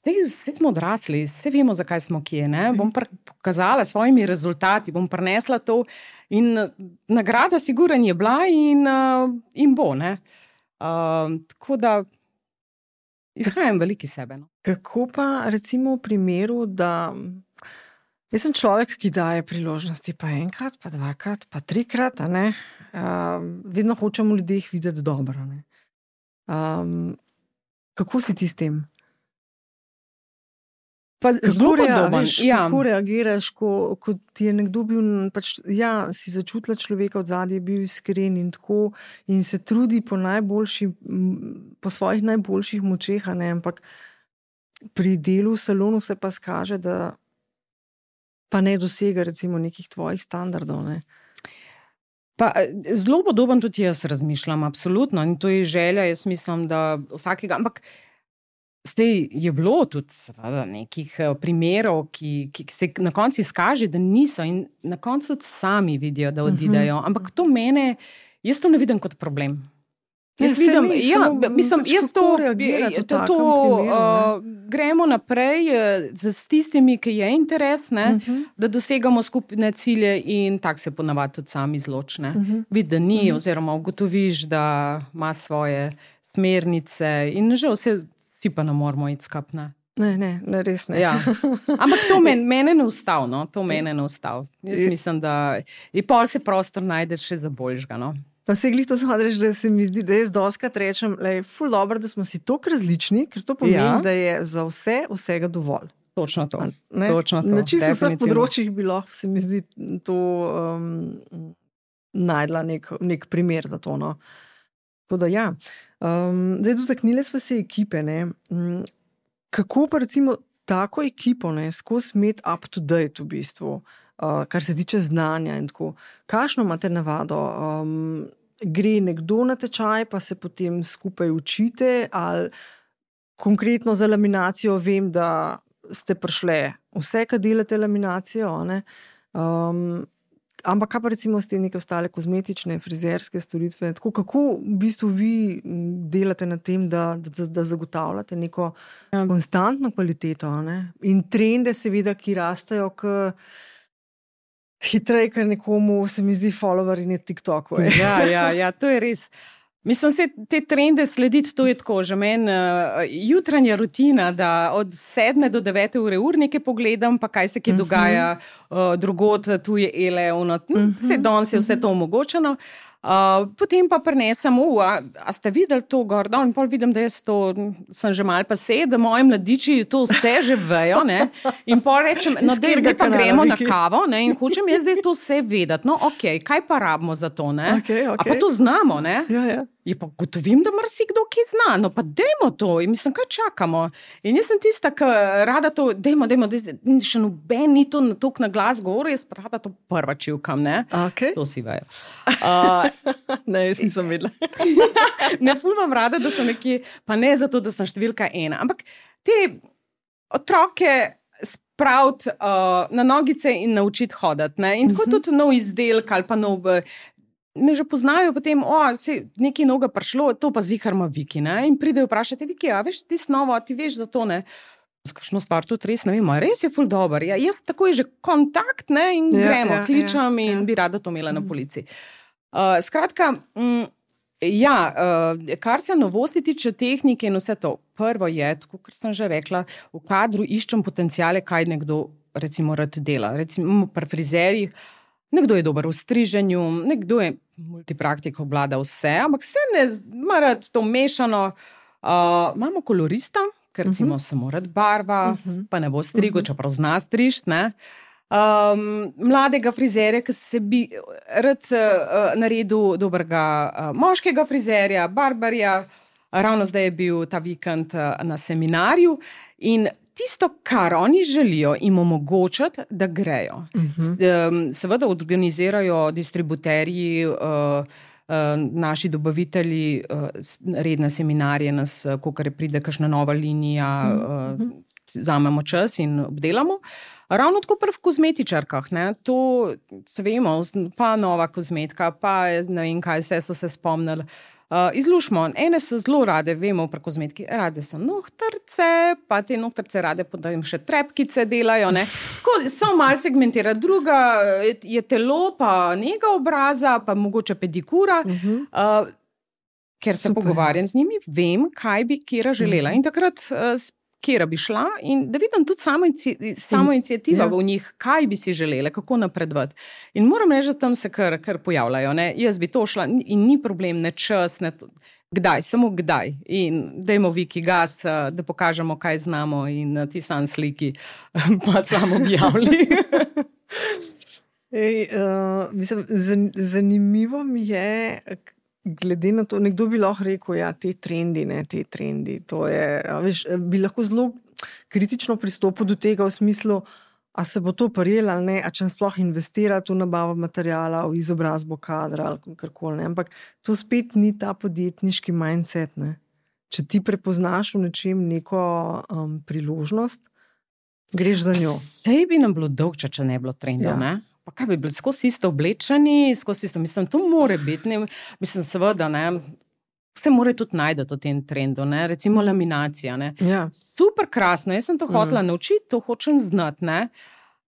Vse smo odrasli, vse vemo, zakaj smo kje, ne? Bom pokazala svojimi rezultati, bom prinesla to in nagrada sigurno je bila in bo, ne? Tako da izhajam veliki sebe, no. Kako pa recimo v primeru, da jaz sem človek, ki daje priložnosti pa enkrat, pa dvakrat, pa trikrat, a ne? Vedno hočemo v ljudeh videti dobro, ne? Kako si ti s tem? Pa zelo podoben. Kako reagiraš, ko ti je nekdo bil, pač, si začutila človeka od zadnje, je bil iskren in tako in se trudi po svojih najboljših močeh, ne, ampak pri delu v salonu se pa skaže, da pa ne dosega recimo nekih tvojih standardov, ne. Pa zelo podoben tudi jaz razmišljam, absolutno, in to je želja, jaz mislim, da vsakega, ampak zdaj je bilo tudi seveda nekih primerov, ki se na koncu izkaže, da niso in na koncu sami vidijo, da odidejo. Ampak to jaz to ne vidim kot problem. Jaz vidim, gremo naprej z tistimi, ki je interes, ne, da dosegamo skupne cilje in tak se ponavadi tudi sami izločne. Vidi, da ni, oziroma ugotoviš, da ima svoje smernice in že vsi pa ne moramo iti skap, ne. Ne, res ne. Ja. Ampak to mene ne ustav, no. To mene ne ustav. Jaz mislim, da in pol se prostor najdeš še za boljšega, no. Pa se glih to smadreš, da se mi zdi, da jaz doskrat rečem, ful dobro, da smo si toliko različni, ker to pomeni, da je za vsega dovolj. Točno to. Točno to. Na čisto vseh področjih bi lahko, se mi zdi, to najdla nek primer za to, no. Tako da zdaj dotaknile smo se ekipe, ne. Kako pa recimo tako ekipo, ne, skozi imeti up to date v bistvu, kar se tiče znanja in tako. Kakšno imate navado? Gre nekdo na tečaj, pa se potem skupaj učite, ali konkretno za laminacijo vem, da ste prišle vse, kad delate laminacijo, ne? Ampak kaj pa recimo ste neke ostale kozmetične, frizerske storitve? Tako, kako v bistvu vi delate na tem, da zagotavljate neko konstantno kvaliteto, ne? In trende seveda, ki rastejo hitreje, ker nekomu se mi zdi follower in je TikToku. Ja, to je res. Mislim, se te trende slediti, to je tako, že meni jutranja rutina, da od 7 do 9 ure urnike pogledam, pa kaj se kje dogaja drugod, tu je vse danes je vse to omogočeno. Potem pa prinesem, a ste videli to gor, in pol vidim, da jaz to sem že malo pase, da moji mladiči to vse že vejo, ne, in pol rečem, no zdaj pa gremo na kavo, ne, in hočem jaz zdaj to vse vedeti, no okej, kaj pa rabimo za to, ne, a pa to znamo, ne. Je pa gotovim, da marsikdo ki zna, no pa dejmo to, in mislim, kaj čakamo. In jaz sem tista, ki rada to, dejmo, še noben ni to toliko na glas govoril, jaz pa rada to prva čivkam, ne. To si vejo. Ne, jaz nisem vedela. Ne ful imam rada, da sem nekje, pa ne zato, da sem številka 1, ampak te otroke spraviti na nogice in naučiti hoditi, ne. In tako tudi nov izdelek ali pa nov... Me že poznajo potem, nekaj noga prišlo, to pa zihar ima Viki, ne? In pridejo vprašati, Viki, a veš, ti snovo, ti veš za to, ne? Z kakšno stvar tudi res, ne vem, res je ful dober. Ja, jaz tako je že kontakt, ne? In gremo, kličem in bi rada to imela na policiji. Skratka, kar se novosti tiče tehnike in vse to, prvo je, tako kot sem že rekla, v kadru iščem potenciale, kaj nekdo recimo rad dela. Recimo pri frizerjih, nekdo je dober v striženju, nekdo je multipraktik, obvlada vse, ampak se ne ima rad to mešano. Imamo kolorista, ker recimo se mora barva, pa ne bo strigo, čeprav zna strižt, ne. mladega frizerja, ki se bi rad naredil dobrega moškega frizerja, barbarja. Ravno zdaj je bil ta vikend na seminarju in tisto, kar oni želijo, jim omogočati, da grejo. Seveda organizirajo distributerji, naši dobavitelji redne seminarje, nas, kakor pride kakšna nova linija, vzamemo čas in obdelamo. Ravno tako v kozmetičarkah, ne, to se vemo, pa nova kozmetika, pa ne vem kaj, vse so se spomnili. Izlušmo, ene so zelo rade, vemo pri kozmetiki, rade so nohtrce, pa te nohtrce rade potem še trepkice delajo, ne. Tako, so malo segmentira, druga je telo, pa nega obraza, pa mogoče pedikura, ker se pogovarjam z njimi, vem, kaj bi kjera želela. In takrat kjera bi šla in da vidim tudi samo iniciativa v njih, kaj bi si želele, kako napredovati. In moram reči, da tam se kar pojavljajo. Ne? Jaz bi to šla in ni problem, ne čas, ne kdaj, samo kdaj. In dajmo Viki gas, da pokažemo, kaj znamo in ti sam sliki pa samo objavili. Zanimivo mi je, glede na to, nekdo bi lahko rekel, ja, te trendi, to je, veš, bi lahko zelo kritično pristopil do tega v smislu, a se bo to prijelo ali ne, a če sploh investirati v nabavo materijala, v izobrazbo kadra ali karkoli, ne, ampak to spet ni ta podjetniški mindset, ne. Če ti prepoznaš v nečem neko priložnost, greš za njo. Sej bi nam bilo dolgče, če ne bilo trendov, ne? Pa kaj bi bili skozi isto oblečeni, mislim, to more biti, ne, mislim, seveda, ne, se more tudi najti v tem trendu, ne, recimo laminacija, ne. Ja. Super krasno, jaz sem to hotela naučiti, to hočem znati, ne,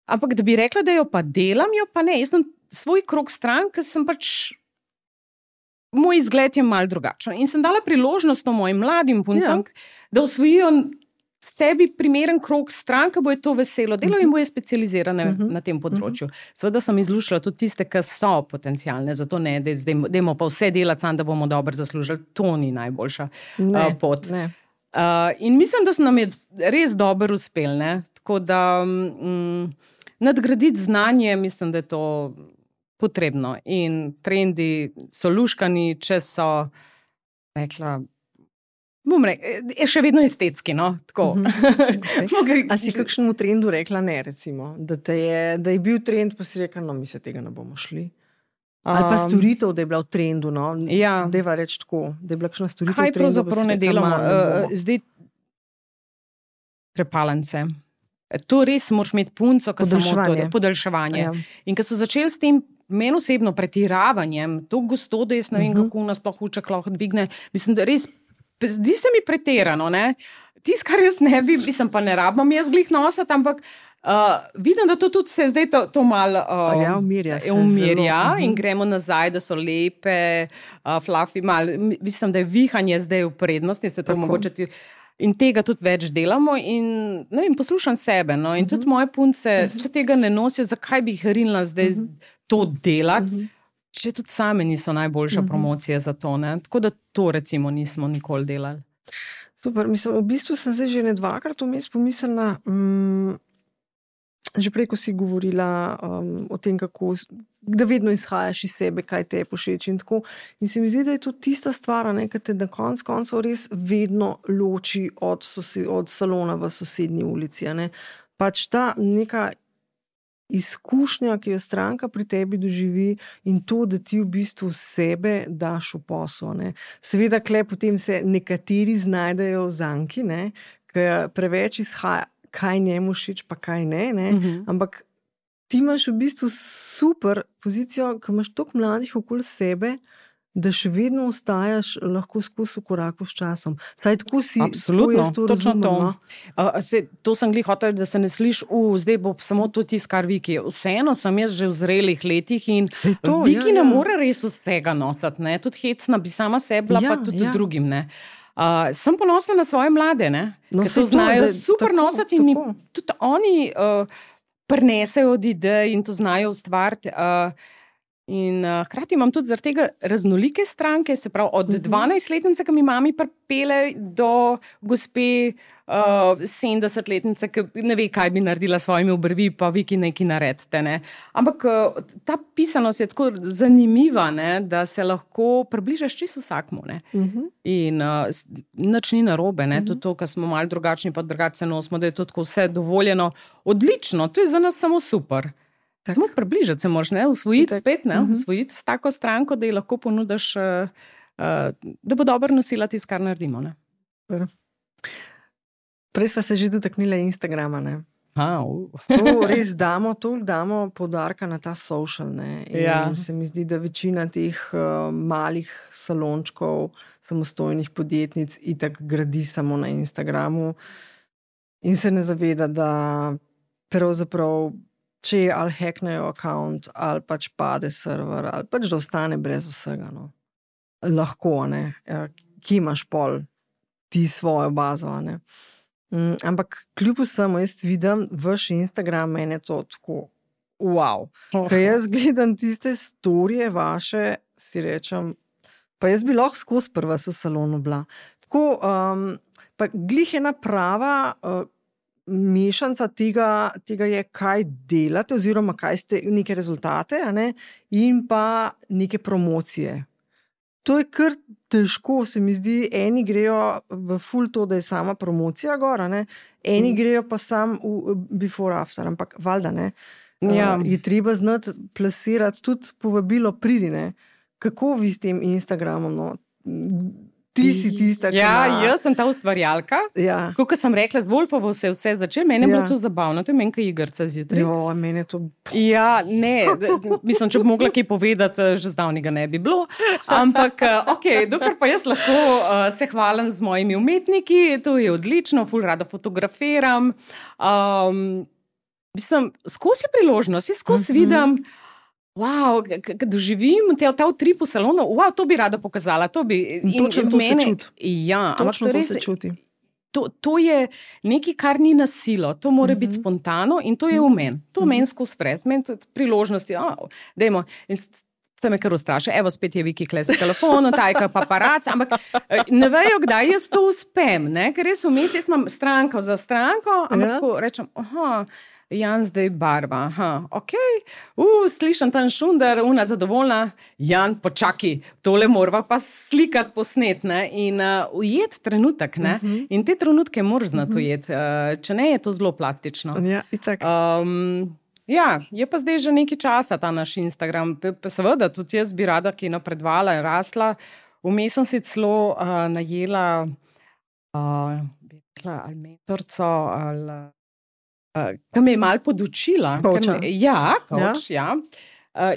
ampak da bi rekla, da jo pa delam, jo pa ne, jaz sem svoj krog stran, ker sem pač, moj izgled je malo drugačen in sem dala priložnost mojim mladim puncem, da osvojijo sebi primeren krog stran, ki bo je to veselo delo in bo je specializirane na tem področju. Seveda sem izlušala tudi tiste, ki so potencialne, zato ne, dajmo pa vse delati sam, da bomo dobro zaslužili. To ni najboljša pot. Ne. In mislim, da nam je res dobro uspel, ne? Tako da nadgraditi znanje, mislim, da je to potrebno. In trendi so luškani, če so, rekla, je še vedno estetski, no, tako. Okay. A si kakšnemu trendu rekla ne, recimo, da je bil trend, pa si rekla, no, mi se tega ne bomo šli? Ali pa storitev, da je bila v trendu, no, deva reči tako, da je bila kakšna storitev v trendu. Kaj pravzaprav ne delamo? Zdaj, trepalence. To res moraš imeti punco, podaljševanje. Ja. In ko so začeli s tem, meni osebno pretiravanjem, to gosto, da jaz ne vem, kako nas sploh uček lahko dvigne, mislim, da res zdi se mi pretirano, ne? Tis, kar jaz ne bi, mislim, pa ne rabam jaz glih nosati, ampak vidim, da to tudi se zdaj to malo umirja in gremo nazaj, da so lepe, fluffy, malo, mislim, da je vihanje zdaj v prednosti, se to mogoče in tega tudi več delamo in, ne vem, poslušam sebe, no, in tudi moje punce, če tega ne nosijo, zakaj bi jih rinila zdaj to delati, če tudi same niso najboljša promocija za to, ne? Tako da to recimo nismo nikoli delali. Super, mislim, v bistvu sem zdaj že dvakrat vmes pomislila, že prej, ko si govorila o tem, kako, da vedno izhajaš iz sebe, kaj te je všeč in tako. In se mi zdi, da je to tista stvar, ne, ki te na koncu res vedno loči od salona v sosednji ulici, ne. Pač ta neka izkušnja, ki jo stranka pri tebi doživi in to, da ti v bistvu sebe daš v posel, ne. Seveda, kle potem se nekateri znajdejo v zanki, ne, ker preveč izhaja, kaj njemu všeč, pa kaj ne, ampak ti imaš v bistvu super pozicijo, ko imaš toliko mladih okoli sebe, da še vedno ostajaš lahko skozi v koraku s časom. Saj tako si, absolutno, to razumem. To sem glih hotel, da se ne sliš, zdaj bo samo to tisto, kar Viki. Vseeno sem jaz že v zrelih letih in Viki ne more res vsega nositi, ne? Tudi hecna bi sama sebla, pa tudi drugim, ne. Sem ponosna na svoje mlade, ne? Ker to znajo super nositi in mi tudi oni prinesejo od idej in to znajo ustvariti. In hkrati imam tudi zaradi tega raznolike stranke, se pravi od 12-letnice, ki mi mami pripele, do gospe 70-letnice, ki ne ve, kaj bi naredila s svojimi obrvi, pa vi, ki nekaj naredite. Ne. Ampak ta pisanost je tako zanimiva, ne, da se lahko približaš čisto vsakmu. Ne. In nič ni narobe, ne. Tudi to, ker smo malo drugačni, pa drugače nosimo, da je to tako vse dovoljeno. Odlično, to je za nas samo super. Samo približati se moraš, ne, usvojiti spet, ne, usvojiti s tako stranko, da ji lahko ponudiš, da bo dobro nosila tisto, kar naredimo, ne. Prej sva se že dotaknila Instagrama, ne. To res damo poudarka na ta social, ne. In se mi zdi, da večina teh malih salončkov, samostojnih podjetnic itak gradi samo na Instagramu in se ne zaveda, da pravzaprav če je ali hacknejo account, ali pač pade server, ali pač da ostane brez vsega. No. Lahko, ne. Ki imaš pol ti svojo bazo, ne. Ampak kljub vsemu jaz vidim vaš Instagram, mene to tako wow. Ko jaz gledam tiste storije vaše, si rečem, pa jaz bi lahko skozi prva v salonu bila. Tako, pa glih ena prava mešanca tega je, kaj delate, oziroma kaj ste neke rezultate, a ne, in pa neke promocije. To je kar težko, se mi zdi, eni grejo v full to, da je sama promocija gor, ne, eni grejo pa sam v before after, ampak valjda, ne, je treba znati plasirati tudi povabilo pridi, ne. Kako vi s tem Instagramom, no? Ti si tista, ki jaz sem ta ustvarjalka. Kot sem rekla, z Wolfovo se vse začelo, meni je bilo to zabavno, to je menjka igrca zjutraj. Meni je to... mislim, če bi mogla kaj povedati, že zdavnega ne bi bilo. Ampak, dokler pa jaz lahko se hvalim z mojimi umetniki, to je odlično, ful rada fotografiram. Mislim, skozi je priložnost, jaz skozi vidim, wow, doživim ta utrip v salonu, wow, to bi rada pokazala. Točno to se čuti. Ja, točno to se čuti. To je nekaj, kar ni na silo, to mora biti spontano in to je v meni. To v meni skozi pres, meni priložnosti, dajmo, in se me kar ustraša, evo spet je Viki kles s telefonom, tajka paparac, ampak ne vejo, kdaj jaz to uspem, ne, ker res vmes, jaz imam stranko za stranko, ampak rečem, Jan zdaj barva, slišam tam šundar, una zadovoljna, Jan, počaki, tole morava pa slikati, posnet, ne, in ujet trenutek, ne, in te trenutke moraš znati ujet, če ne, je to zelo plastično. Ja, itak. Je pa zdaj že nekaj časa ta naš Instagram, pa seveda tudi jaz bi rada, ki je napredvala in rasla, vmes sem si celo najela ali mentorco, ali ki me je malo podučila. Coach.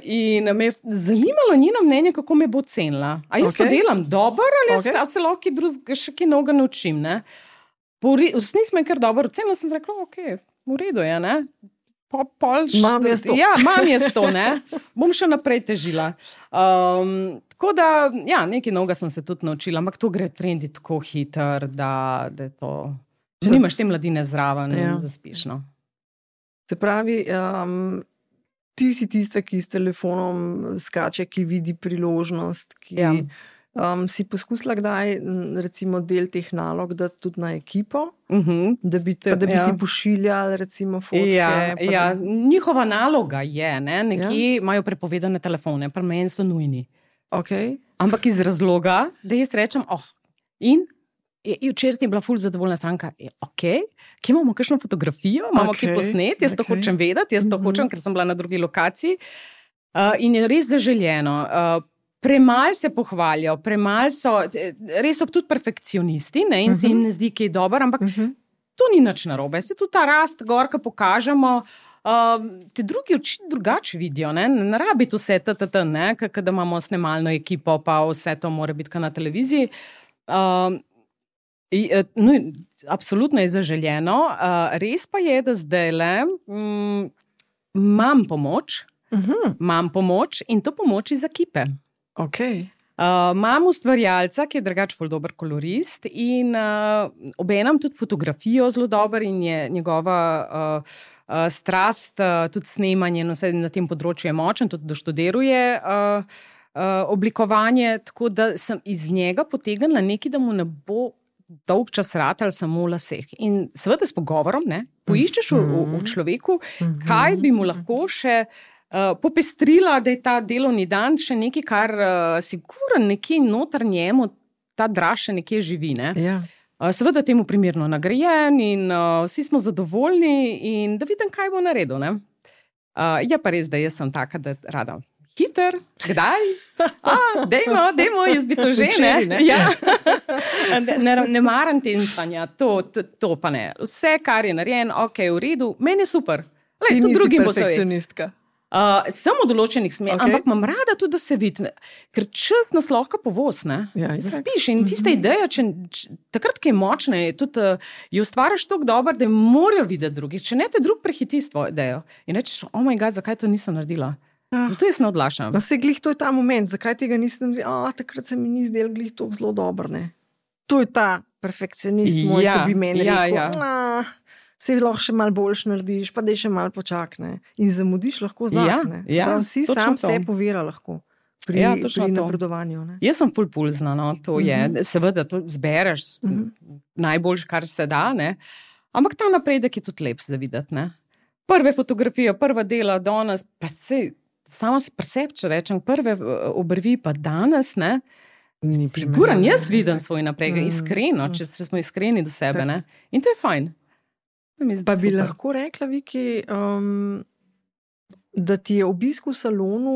In me je zanimalo njeno mnenje, kako me bo cenila. A jaz to delam dobro, ali se lahko še kaj novega naučim, ne? V resnici me je kar dobro ocenila, sem rekla, v redu je, ne? Mam jaz to. Mam jaz to, ne? Bom še naprej težila. Tako da, nekaj novega sem se tudi naučila, ampak to gre trendi tako hiter, da je to... Če nimaš te mladine zraven, zaspiš, no. Se pravi, ti si tista, ki s telefonom skače, ki vidi priložnost, ki si poskusila kdaj, recimo, del teh nalog dati tudi na ekipo, da bi ti pošiljali, recimo, fotke. Njihova naloga je, ne, nekje imajo prepovedane telefone, pri meni so nujni. Ampak iz razloga, da jaz rečem, včeraj si bila ful zadovoljna stranka. Kje imamo kakšno fotografijo? Imamo kaj posnet? Jaz to hočem vedeti, jaz to hočem, ker sem bila na drugi lokaciji. In je res zaželjeno. Premalo se pohvalijo, res so tudi perfekcionisti, ne, in se jim ne zdi kaj dobro, ampak to ni nič narobe. Se tudi ta rast gor, ko pokažemo, te drugi oči drugače vidijo, ne rabi to vse, ne, kada imamo snemalno ekipo, pa vse to mora biti na televiziji. Absolutno je zaželjeno. Res pa je, da zdajle imam pomoč in to pomoč iz ekipe. Imam ustvarjalca, ki je drugače ful dober kolorist in obenem tudi fotografijo zelo dober in je njegova strast, tudi snemanje na tem področju je močen, tudi doštudiruje oblikovanje, tako da sem iz njega potegnila nekaj, da mu ne bo dolg čas ratal samo v laseh. In seveda s pogovorom, poiščeš v človeku, kaj bi mu lahko še popestrila, da je ta delovni dan še nekaj, kar sigurno nekje noter njemu ta draž še nekje živi. Ja. Seveda temu primerno nagrajen in vsi smo zadovoljni in da vidim, kaj bo naredil. Je pa res, da jaz sem taka, da rada hiter, kdaj? Dejmo, jaz bi to že, ne? Ja. Ne maram tenstanja, to pa ne. Vse, kar je narejen, ok, v redu, meni je super. Ti nisi perfekcionistka. Sem v določenih smerih, ampak imam rada tudi, da se vidi, ker čas nas lahko povoz, zaspiš in tista ideja, takrat, ki je močna, tudi jo ustvariš toliko dobro, da morajo videti drugi, če ne te drug prehiti s tvojo idejo in rečeš, oh my god, zakaj to nisem naredila? Zato jaz ne odlašam. No se glih, to je ta moment, zakaj tega nisem naredila, takrat se mi ni zdel glih toliko zelo dobro, ne? To je ta perfekcionist moj, ki bi meni rekel, se lahko še malo boljš narediš, pa da še malo počakne. In zamudiš lahko znak, ne? Vsi sam se povira lahko pri napredovanju. Ne? Jaz sem pulzna, to je. Seveda to zbereš najboljš, kar se da, ne? Ampak ta napredek je tudi lep za videti, ne? Prve fotografije, prva dela danes, pa sama si preseb, če rečem, prve obrvi pa danes, ne? Figuran, jaz vidim svoj napredek, iskreno, če smo iskreni do sebe, ne? In to je fajn. Pa bi lahko rekla, Viki, da ti je obisk v salonu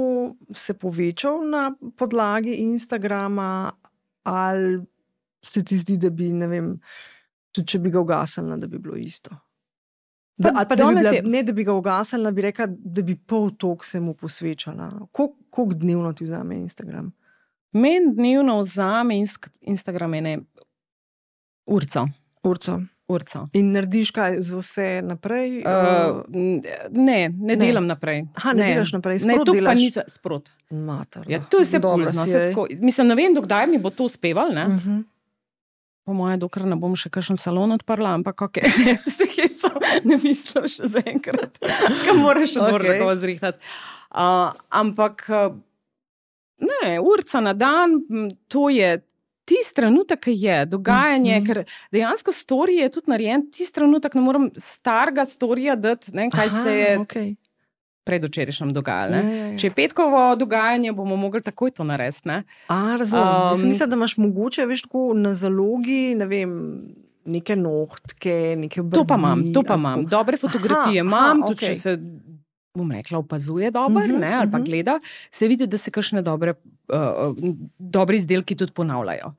se povečal na podlagi Instagrama ali se ti zdi, da bi, ne vem, tudi če bi ga ugasnila, da bi bilo isto? Ali pa da bi bila, ne da bi ga ugasnila, bi rekla, da bi pol tok se mu posvečala. Koliko dnevno ti vzame Instagram? Meni dnevno vzame Instagram ene urco. In narediš kaj za vse naprej? Ne delam naprej. Ne delaš naprej, sprot delaš? Ne, to pa ni sprot. Mater. Ja, to je vse pulzno. Mislim, ne vem, dokdaj mi bo to uspeval, ne? Po moje, dokler ne bom še kakšen salon odprla, ampak ne se hecam, ne mislim še zaenkrat. Kaj moraš še tako zrihtati. Ampak ne, urca na dan, to je tisti trenutek, ki je dogajanje, ker dejansko story je tudi narejen, tisti trenutek ne moram starega storija dati, kaj se je predvčerajšnjem dogajalo. Če je petkovo dogajanje, bomo mogli takoj to narediti. Razumem. Mislim, da imaš mogoče, veš, tako na zalogi, ne vem, neke nohtke, neke obrvi. To pa imam. Dobre fotografije imam, tudi če se, bom rekla, opazuje dobro, ali pa gleda, se vidi, da se kakšne dobre izdelki tudi ponavljajo.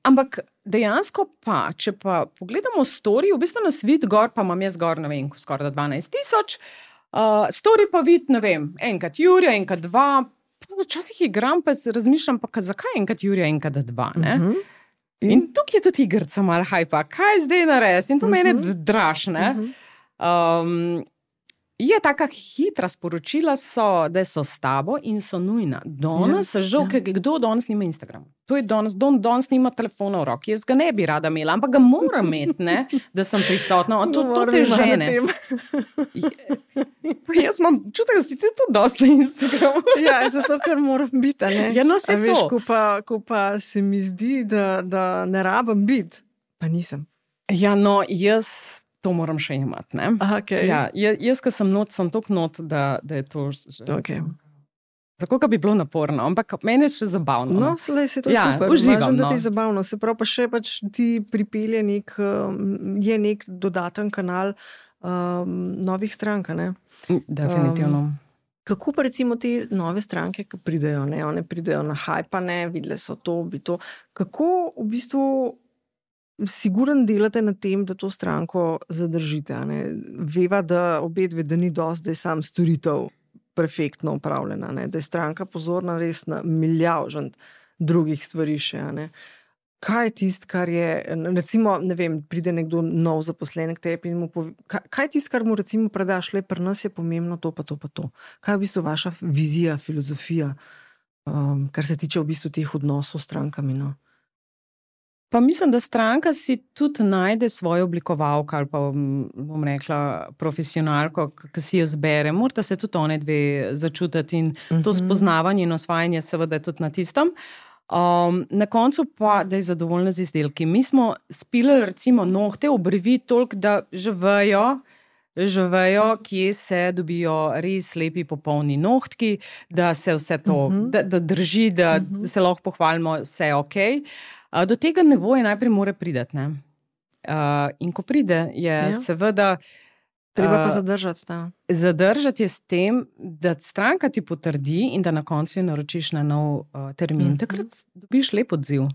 Ampak dejansko pa, če pa pogledamo story, v bistvu nas vidi gor, pa imam jaz gor, ne vem, skoraj 12,000, story pa vidi, ne vem, enkrat Jurija, enkrat 2, včasih igram, pa razmišljam, pa zakaj enkrat Jurija, enkrat 2, ne? In tukaj je tudi igrca malo hajpa, kaj zdaj narediti? In to mene draž, ne? Je taka hitra sporočila da so s tabo in so nujna. Danes se žal, kdo danes nima Instagrama? To je danes nima telefona v roki. Jaz ga ne bi rada imela, ampak ga moram imeti, ne, da sem prisotna. To te žene. Jaz imam čutek, da si ti tudi dosti na Instagramu. Ja, zato, ker moram biti, ne? Ja, no, se veš, ko pa se mi zdi, da ne rabim biti, pa nisem. Ja, no, jaz to moram še imati, ne? Ja, jaz, ko sem sem toliko not, da je to že... Tako, bi bilo naporno, ampak meni je še zabavno. No, slej se to super. Uživam, da ti je zabavno. Se pravi, pa še ti pripelje je nek dodaten kanal novih strank, ne? Definitivno. Kako pa recimo te nove stranke, ki pridejo, ne? One pridejo na hajpane, videle so to, kako v bistvu siguren delate na tem, da to stranko zadržite, ne? Veva, da obedve, da ni dosti, da je sam storitev perfektno upravljena, ne? Da je stranka pozorna res na milijavžant drugih stvari še, ne? Kaj je tist, kar je, recimo, ne vem, pride nekdo nov zaposlen k tebi in mu pove, kaj je tist, kar mu recimo predaš, le pri nas je pomembno to pa to pa to. Kaj je v bistvu vaša vizija, filozofija, kar se tiče v bistvu teh odnosov s strankami, no? Pa mislim, da stranka si tudi najde svojo oblikovalko ali pa bom rekla profesionalko, ki si jo zbere. Morata se tudi one dve začutiti in to spoznavanje in osvajanje seveda je tudi na tistem. Na koncu pa, da je zadovoljna z izdelki. Mi smo spilali recimo nohte, obrvi toliko, da že vejo, kje se dobijo res lepi popolni nohtki, da se vse to, da drži, da se lahko pohvalimo, vse je okej. Do tega nivoja najprej mora priti, ne? In ko pride, je seveda treba pa zadržati. Da. Zadržati je s tem, da stranka ti potrdi in da na koncu jo naročiš na nov termin. Takrat dobiš lep odziv.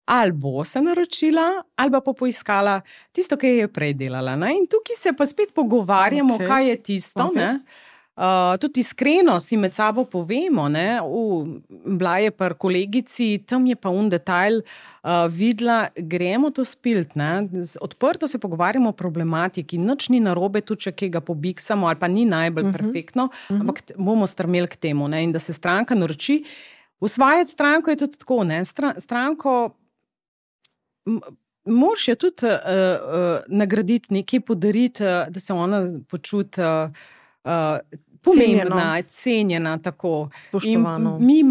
Ali bo se naročila, ali pa poiskala tisto, kar je prej delala. Ne? In tukaj se pa spet pogovarjamo, kaj je tisto. Ne? Tudi iskreno si med sabo povemo, ne? Bila je par kolegici, tam je pa detajl videla, gremo to spilt. Ne? Odprto se pogovarjamo o problematiki, nič ni narobe, tudi če kaj ga pobiksamo, ali pa ni najbolj perfektno, ampak bomo strmeli k temu. Ne? In da se stranka naroči. Usvajati stranko je tudi tako, ne? Stranko moraš jo tudi nagraditi, nekaj podariti, da se ona počuti pomembna, cenjena, tako. Spoštovano. Mi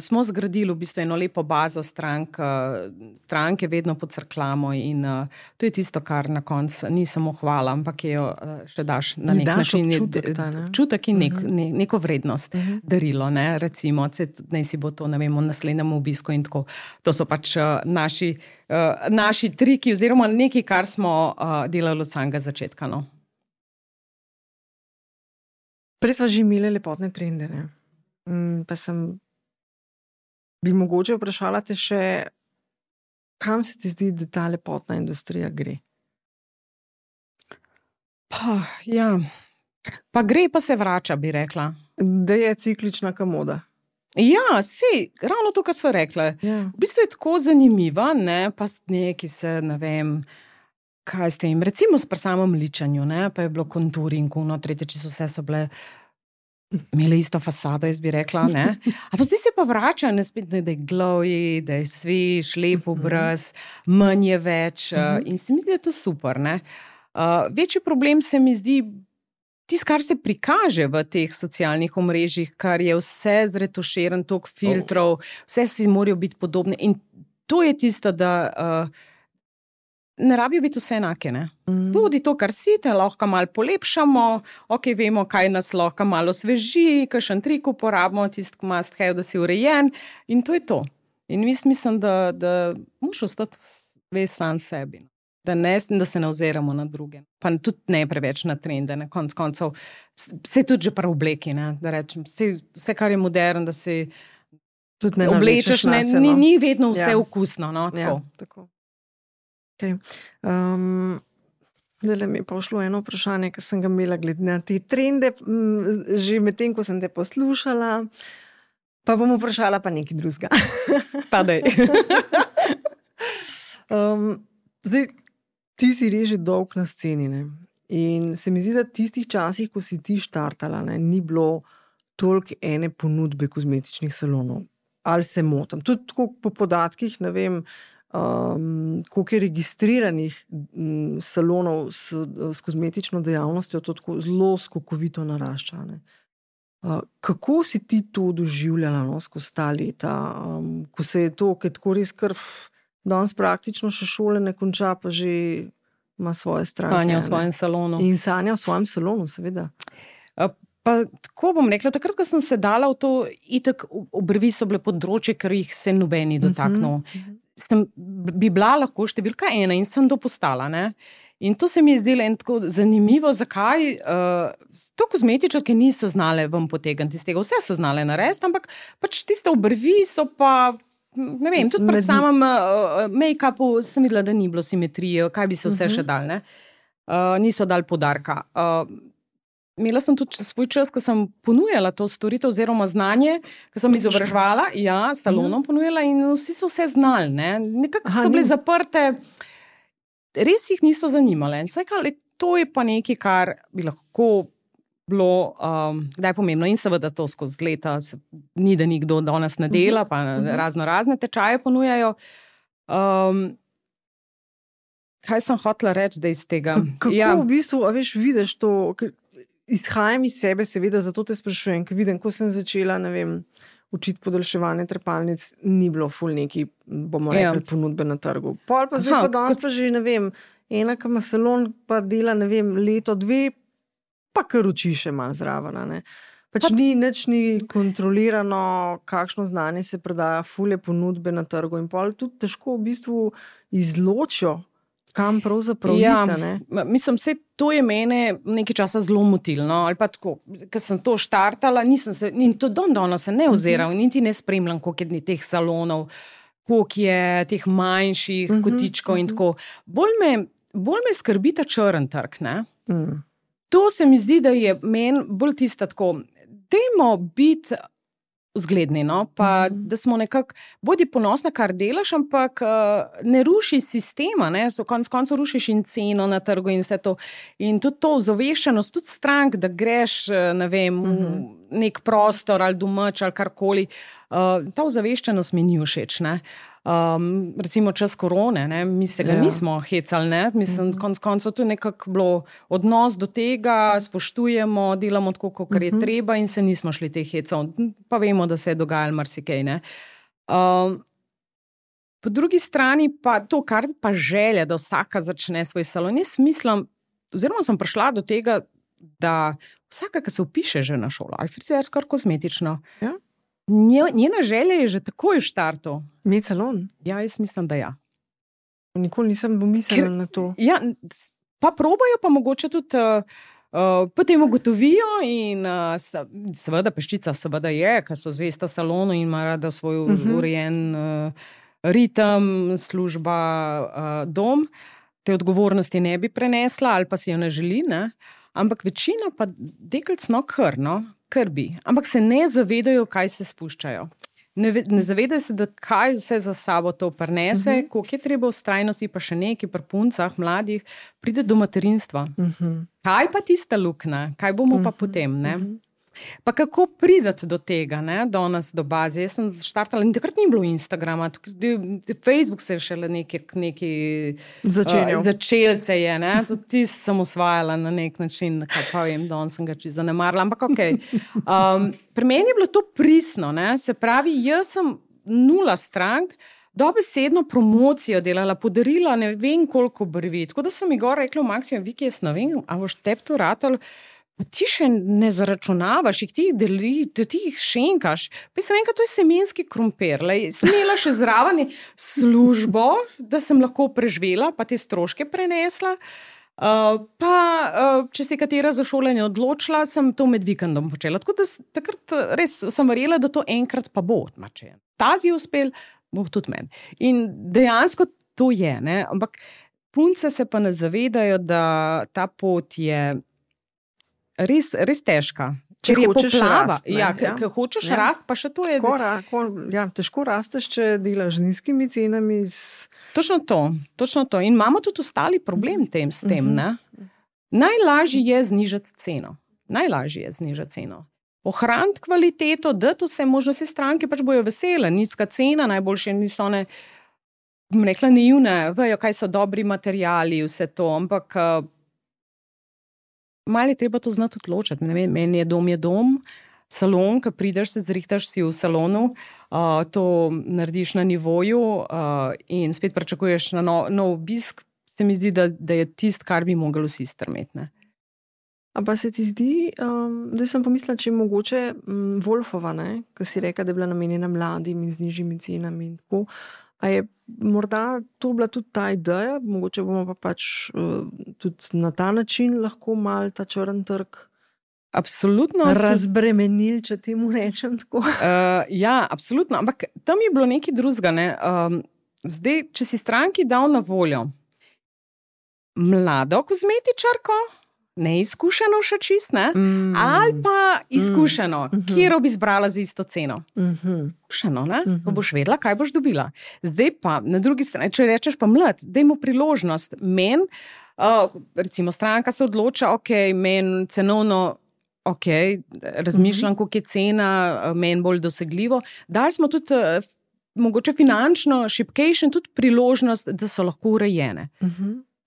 smo zgradili v bistvu eno lepo bazo stranke vedno podcrklamo in to je tisto, kar na koncu ni samo hvala, ampak jo še daš na nek način občutek in neko vrednost darilo, ne, recimo, naj si bo to, ne vem, v naslednjem obisku in tako. To so pač naši triki oziroma nekaj, kar smo delali od samega začetka, no. Prej sva že imeli lepotne trende, ne? Pa bi mogoče vprašala te še, kam se ti zdi, da ta lepotna industrija gre? Pa gre, pa se vrača, bi rekla. Da je ciklična komoda. Ja, ravno to, kar so rekla. Ja. V bistvu je tako zanimiva, ne, pa neki se, ne vem, kaj s tem, recimo s samem ličanju, ne, pa je bilo konturing, tretje, vse so bile, imele isto fasado, jaz bi rekla, ne. A pa zdaj se pa vrača, ne, spet, da je glowy, da je svež, lep obraz, manj je več in se mi zdi, da je to super, ne. Večji problem se mi zdi tisto, kar se prikaže v teh socialnih omrežjih, kar je vse zretuširan, toliko filtrov, vse si morajo biti podobne in to je tisto, da ne rabijo biti vse enake, ne. Bodi to, kar si, te lahko malo polepšamo, vemo, kaj nas lahko malo sveži, kakšen trik uporabimo, tisti must have, da si urejen in to je to. In mislim, da moraš ostati ves sam sebi. Da se ne oziramo na druge. Pa tudi ne preveč na trende, na konc koncev. Se tudi že pri obleki, ne, da rečem, vse, kar je modern, da si oblečeš, ni vedno vse okusno, no, tako. Ja, tako. Okay. Zdaj mi je pa šlo eno vprašanje, ki sem ga imela glede na te trende, že med tem, ko sem te poslušala, pa bom vprašala pa nekaj drugega. Pa daj. Zdaj, ti si res že dolg na sceni, ne? In se mi zdi, da tistih časih, ko si ti štartala, ne, ni bilo toliko ene ponudbe kozmetičnih salonov. Ali se motim? Tudi tako po podatkih, ne vem, koliko je registriranih salonov s kozmetično dejavnostjo, to tako zelo skokovito narašča. Ne? Kako si ti to doživljala, no, skozi ta leta, ko se je to, ker tako res danes praktično še šole ne konča, pa že ima svoje stranke. Sanja v svojem salonu. In sanja v svojem salonu, seveda. Pa tako bom rekla, takrat, ko sem se dala v to, itak obrvi so bile področje, ker jih se nobeni dotaknil. Bi bila lahko številka 1 in sem to postala, ne. In to se mi je zdelo tako zanimivo, zakaj to kozmetičarke niso znale vam potegniti iz tega. Vse so znale narediti, ampak pač tiste obrvi so pa, ne vem, tudi pri samem make-upu sem videla, da ni bilo simetrije, kaj bi se vse še dal, ne. Niso dali poudarka. Imela sem tudi svoj čas, ko sem ponujala to storitev oziroma znanje, ko sem izobraževala, salonom ponujala in vsi so vse znali, ne. Nekako so bile zaprte, res jih niso zanimale. To je pa nekaj, kar bi lahko bilo, da je pomembno in seveda to skozi leta, ni da nikdo danes ne dela, pa razne tečaje ponujajo. Kaj sem hotela reči zdaj iz tega? Kako v bistvu, vidiš to, izhajam iz sebe, seveda, zato te sprašujem, ker vidim, ko sem začela, učiti podaljševanje trepalnic, ni bilo ful neki, bomo rekli, ponudbe na trgu. Pol pa zdaj pa danes pa že, ena, ki ima salon, pa dela, leto, dve, pa kar uči še malo zraven, nič ni kontrolirano, kakšno znanje se prodaja, fule ponudbe na trgu in pol tudi težko v bistvu izločijo, kam pravzaprav ide. Mislim, to je mene nekaj časa zelo motilno, ali pa tako, ker sem to štartala, nisem se, in to danes se ne oziral, niti ne spremljam, koliko je teh salonov, koliko je teh manjših kotičkov in tako. Bolj me skrbi ta črn trg, ne? To se mi zdi, da je meni bolj tista tako, dajmo biti vzgledni, pa da smo nekako, bodi ponosna, kar delaš, ampak ne ruši sistema, konec koncev rušiš in ceno na trgu in vse to. In tudi to ozaveščenost, tudi strank, da greš, nek prostor ali domač ali karkoli, ta ozaveščenost mi ni všeč, recimo čas korone, mi se ga nismo hecali, mislim, konec koncev to je nekako bilo odnos do tega, spoštujemo, delamo tako, kot je treba in se nismo šli teh hecov, pa vemo, da se je dogajalo marsikaj, Po drugi strani pa to, kar pa želja, da vsaka začne svoj salon, jaz mislim, oziroma sem prišla do tega, da vsaka, ki se vpiše že na šolo, ali frizersko, ali kozmetično, njena želja je že takoj v štartu. Imeti salon? Ja, jaz mislim, da ja. Nikoli nisem pomislila na to. Ja, pa probajo, pa mogoče tudi potem ugotovijo in seveda peščica seveda je, ker so zvesta salonu in ima rada svoj urejen ritem, služba, dom. Te odgovornosti ne bi prenesla ali pa si jo ne želi, ampak večina pa deklic kar bi. Ampak se ne zavedajo, kaj se spuščajo. Ne zavedajo se, da kaj vse za sabo to prinese, koliko je treba vztrajnosti, pa še nekaj pri puncah, mladih, pride do materinstva. Kaj pa tista luknja? Kaj bomo pa potem, Pa kako prideti do tega, danes do baze? Jaz sem štartala in takrat ni bilo Instagrama, Facebook se je šele nekaj začel se je, tudi ti sem osvajala na nek način, kaj pa vem, danes sem ga čisto zanemarila, ampak okej. Pri meni je bilo to pristno, se pravi, jaz sem 0 strank, dobesedno promocijo delala, podarila ne vem koliko brvi, tako da so mi gor rekli v Maxiju, Viki, jaz ne vem, a boš tebi to ratal, pa ti še ne zaračunavaš, ti jih deli, ti jih šenkaš. Pa sem enkrat, to je semenski krompir. Sem imela še zraven službo, da sem lahko preživela, pa te stroške prenesla. Če se je katera za šolanje odločila, sem to med vikendom počela. Tako da takrat res sem verjela, da to enkrat pa bo. Če je tazi uspel, bo tudi meni. In dejansko to je, ampak punce se pa ne zavedajo, da ta pot je res težka. Če hočeš rast. Ker hočeš rast, pa še to je... Težko rasteš, če delaš z nizkimi cenami. Točno to. In imamo tudi ostali problem s tem. Najlažje je znižati ceno. Ohraniti kvaliteto, dati vse možnosti stranke, pač bojo vesele. Nizka cena, najboljše niso one, bom rekla, naivne, vejo, kaj so dobri materiali, vse to, ampak malo je treba to znati odločiti. Meni je dom, salon, ko prideš, se zrihtaš si v salonu, to narediš na nivoju in spet pričakuješ na nov obisk, se mi zdi, da je tist, kar bi mogli vsi strmeti. A pa se ti zdi, da sem pomislila, če je mogoče Wolfova, ko si reka, da je bila namenjena mladim in z nižjimi cenami in tako, a je morda to bila tudi ta ideja, mogoče bomo pa pač tudi na ta način lahko mal ta črn trg absolutno razbremenili, če temu rečem tako. Ja, absolutno, ampak tam je bilo nekaj drugega. Zdaj, če si stranki dal na voljo mlado kozmetičarko, neizkušeno še čist, ali pa izkušeno, kjer bi izbrala za isto ceno. Izkušeno, ko boš vedela, kaj boš dobila. Zdaj pa, na drugi strani, če rečeš pa mlad, daj mu priložnost. Men, recimo stranka se odloča, men cenovno, razmišljam, koliko je cena, men bolj dosegljivo. Dali smo tudi mogoče finančno šibkejše in tudi priložnost, da so lahko urejene.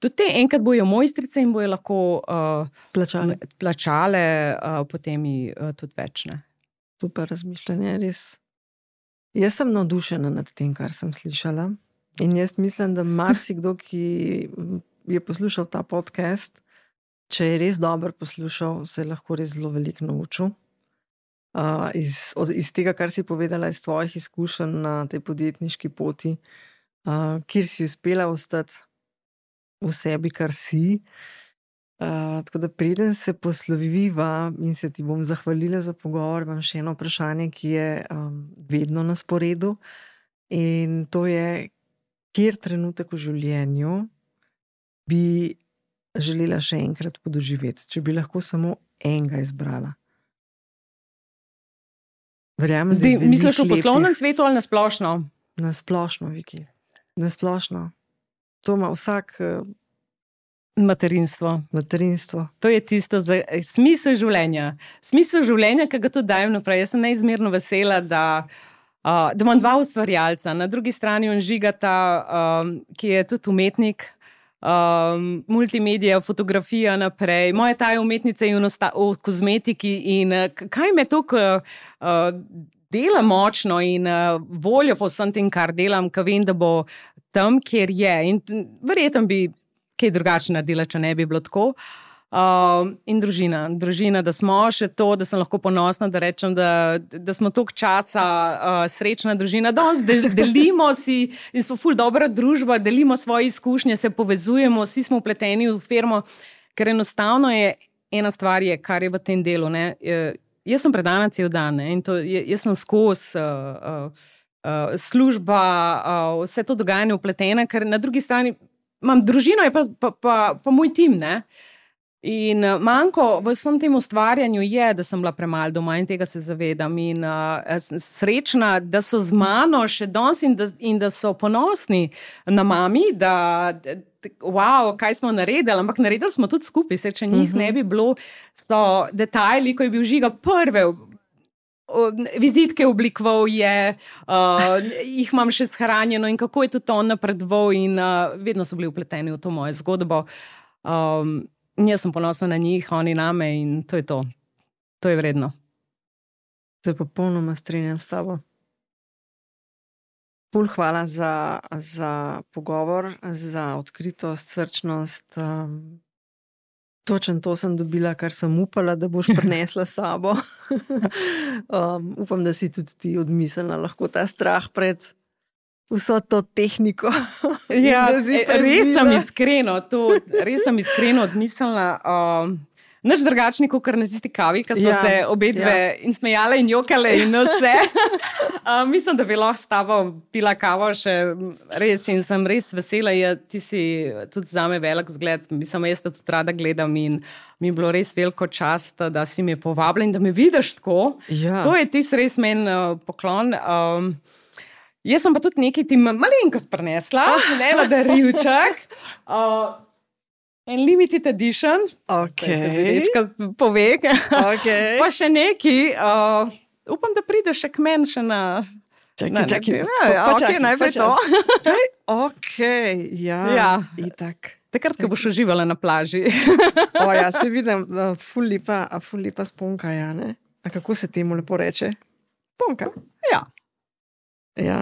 Tudi te enkrat bojo mojstrice in bojo lahko plačale potem tudi več. Ne? Super razmišljanje, res. Jaz sem navdušena nad tem, kar sem slišala. In jaz mislim, da marsikdo, ki je poslušal ta podcast, če je res dobro poslušal, se je lahko res zelo veliko naučil. Iz tega, kar si povedala, iz tvojih izkušenj na tej podjetniški poti, kjer si uspela ostati v sebi, kar si. Tako da preden se posloviva in se ti bom zahvalila za pogovor, imam še eno vprašanje, ki je vedno na sporedu. In to je, kjer trenutek v življenju bi želela še enkrat podoživeti, če bi lahko samo enega izbrala. Verjamem, zdaj, misliš v poslovnem svetu ali na splošno? Na splošno, Viki. Na splošno. To ima vsak... Materinstvo. To je tisto za smisel življenja. Smisel življenja, ki ga tudi dajem naprej. Jaz sem neizmerno vesela, da imam dva ustvarjalca. Na drugi strani on Žigata, ki je tudi umetnik, multimedija, fotografija naprej. Moja ta je umetnica v kozmetiki in kaj me toliko dela močno in voljo po vsem tem, kar delam, ker vem, da bo tam, kjer je. In verjetno bi kaj drugače naredila, če ne bi bilo tako. In družina, da smo še to, da sem lahko ponosna, da rečem, da smo toliko časa srečna družina. Danes delimo si in smo ful dobra družba, delimo svoje izkušnje, se povezujemo, vsi smo vpleteni v firmo, ker enostavno je ena stvar, kar je v tem delu. Ne? Jaz sem predana cel dan, ne? In to, jaz sem skozi služba, vse to dogajanje vpletena, ker na drugi strani imam družino, je pa moj tim, ne? In manjko v vsem tem ustvarjanju je, da sem bila premalo doma in tega se zavedam. In srečna, da so z mano še danes in da so ponosni na mami, da wow, kaj smo naredili, ampak naredili smo tudi skupaj, če njih ne bi bilo, so detajli, ko je bil Žiga prve vizitke oblikoval je, jih imam še shranjeno in kako je tudi on napredoval in vedno so bili vpleteni v to mojo zgodbo. Jaz sem ponosna na njih, oni name in to je to. To je vredno. Se popolnoma strinjam s tabo. Ful hvala za pogovor, za odkritost, srčnost. Točno to sem dobila, kar sem upala, da boš prinesla s sabo. Upam, da si tudi ti odmislila lahko ta strah pred vso to tehniko. Ja, res sem iskreno odmislila. Nič drugačni, kot na tisti kavi, ki smo se obedve in smejale in jokale in vse. Mislim, da bi lahko s tabo pila kavo še res in sem res vesela. Ti si tudi zame velik zgled. Mislim, jaz tudi rada gledam in mi je bilo res veliko čast, da si me povabila in da me vidiš tako. Ja. To je tisti res meni poklon. Jaz sem pa tudi nekaj ti malenkost prinesla, ne na darilček. En limited edition. Rečka pove. Pa še neki. Upam, da prideš še k meni še na... Čakaj, najprej to. Itak. Takrat, ko boš uživala na plaži. Ja, se vidim, ful lepa sponka, ja, ne? A kako se temu lepo reče? Sponka? Ja.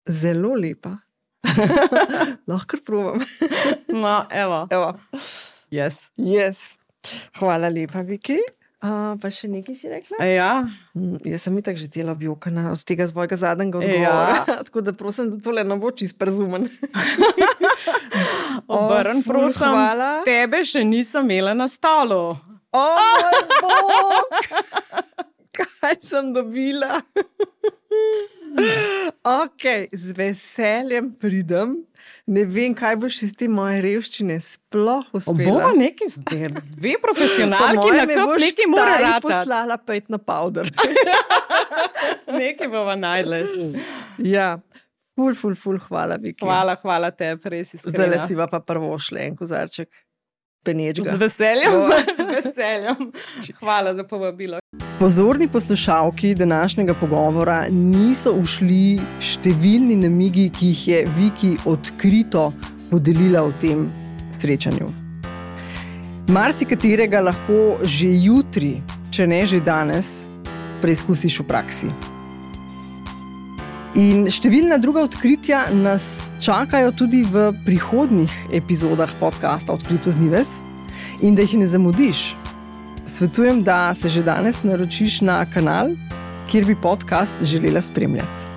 Zelo lepa. Lahko probam. No, evo. Yes. Hvala lepa, Viki. Pa še nekaj si rekla? Ja. Jaz sem itak že cela objokana od tega svojega zadnjega odgovora. Tako da prosim, da tole ne bo čist prezumen. Obrn, prosim. Hvala. Tebe še nisem imela na stolu. Moj bog! Kaj sem dobila? Z veseljem pridem. Ne vem, kaj boš iz te moje revščine sploh uspela. Bova neki zdaj, dve profesionalki na kup, neki mora rata. Poslala pet na powder. Neki bova najdle. Ja, ful, hvala, Viki. Hvala te, res iskrena. Zdaj le si pa prvo šle en kozarček. penečga. Z veseljem, z veseljem. Hvala za povabilo. Pozorni poslušalki današnjega pogovora niso ušli številni namigi, ki jih je Viki odkrito podelila v tem srečanju. Marsikaterega lahko že jutri, če ne že danes, preizkusiš v praksi. In številna druga odkritja nas čakajo tudi v prihodnjih epizodah podcasta Odkrito z Nives. In da jih ne zamudiš, svetujem, da se že danes naročiš na kanal, kjer bi podcast želela spremljati.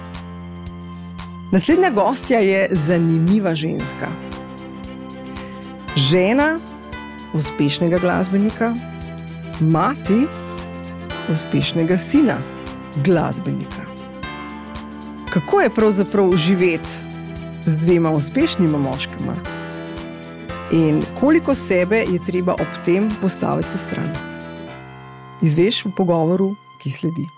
Naslednja gostja je zanimiva ženska. Žena uspešnega glasbenika, mati uspešnega sina glasbenika. Kako je pravzaprav živeti z dvema uspešnima moškima? In koliko sebe je treba ob tem postaviti v stran? Izveš v pogovoru, ki sledi.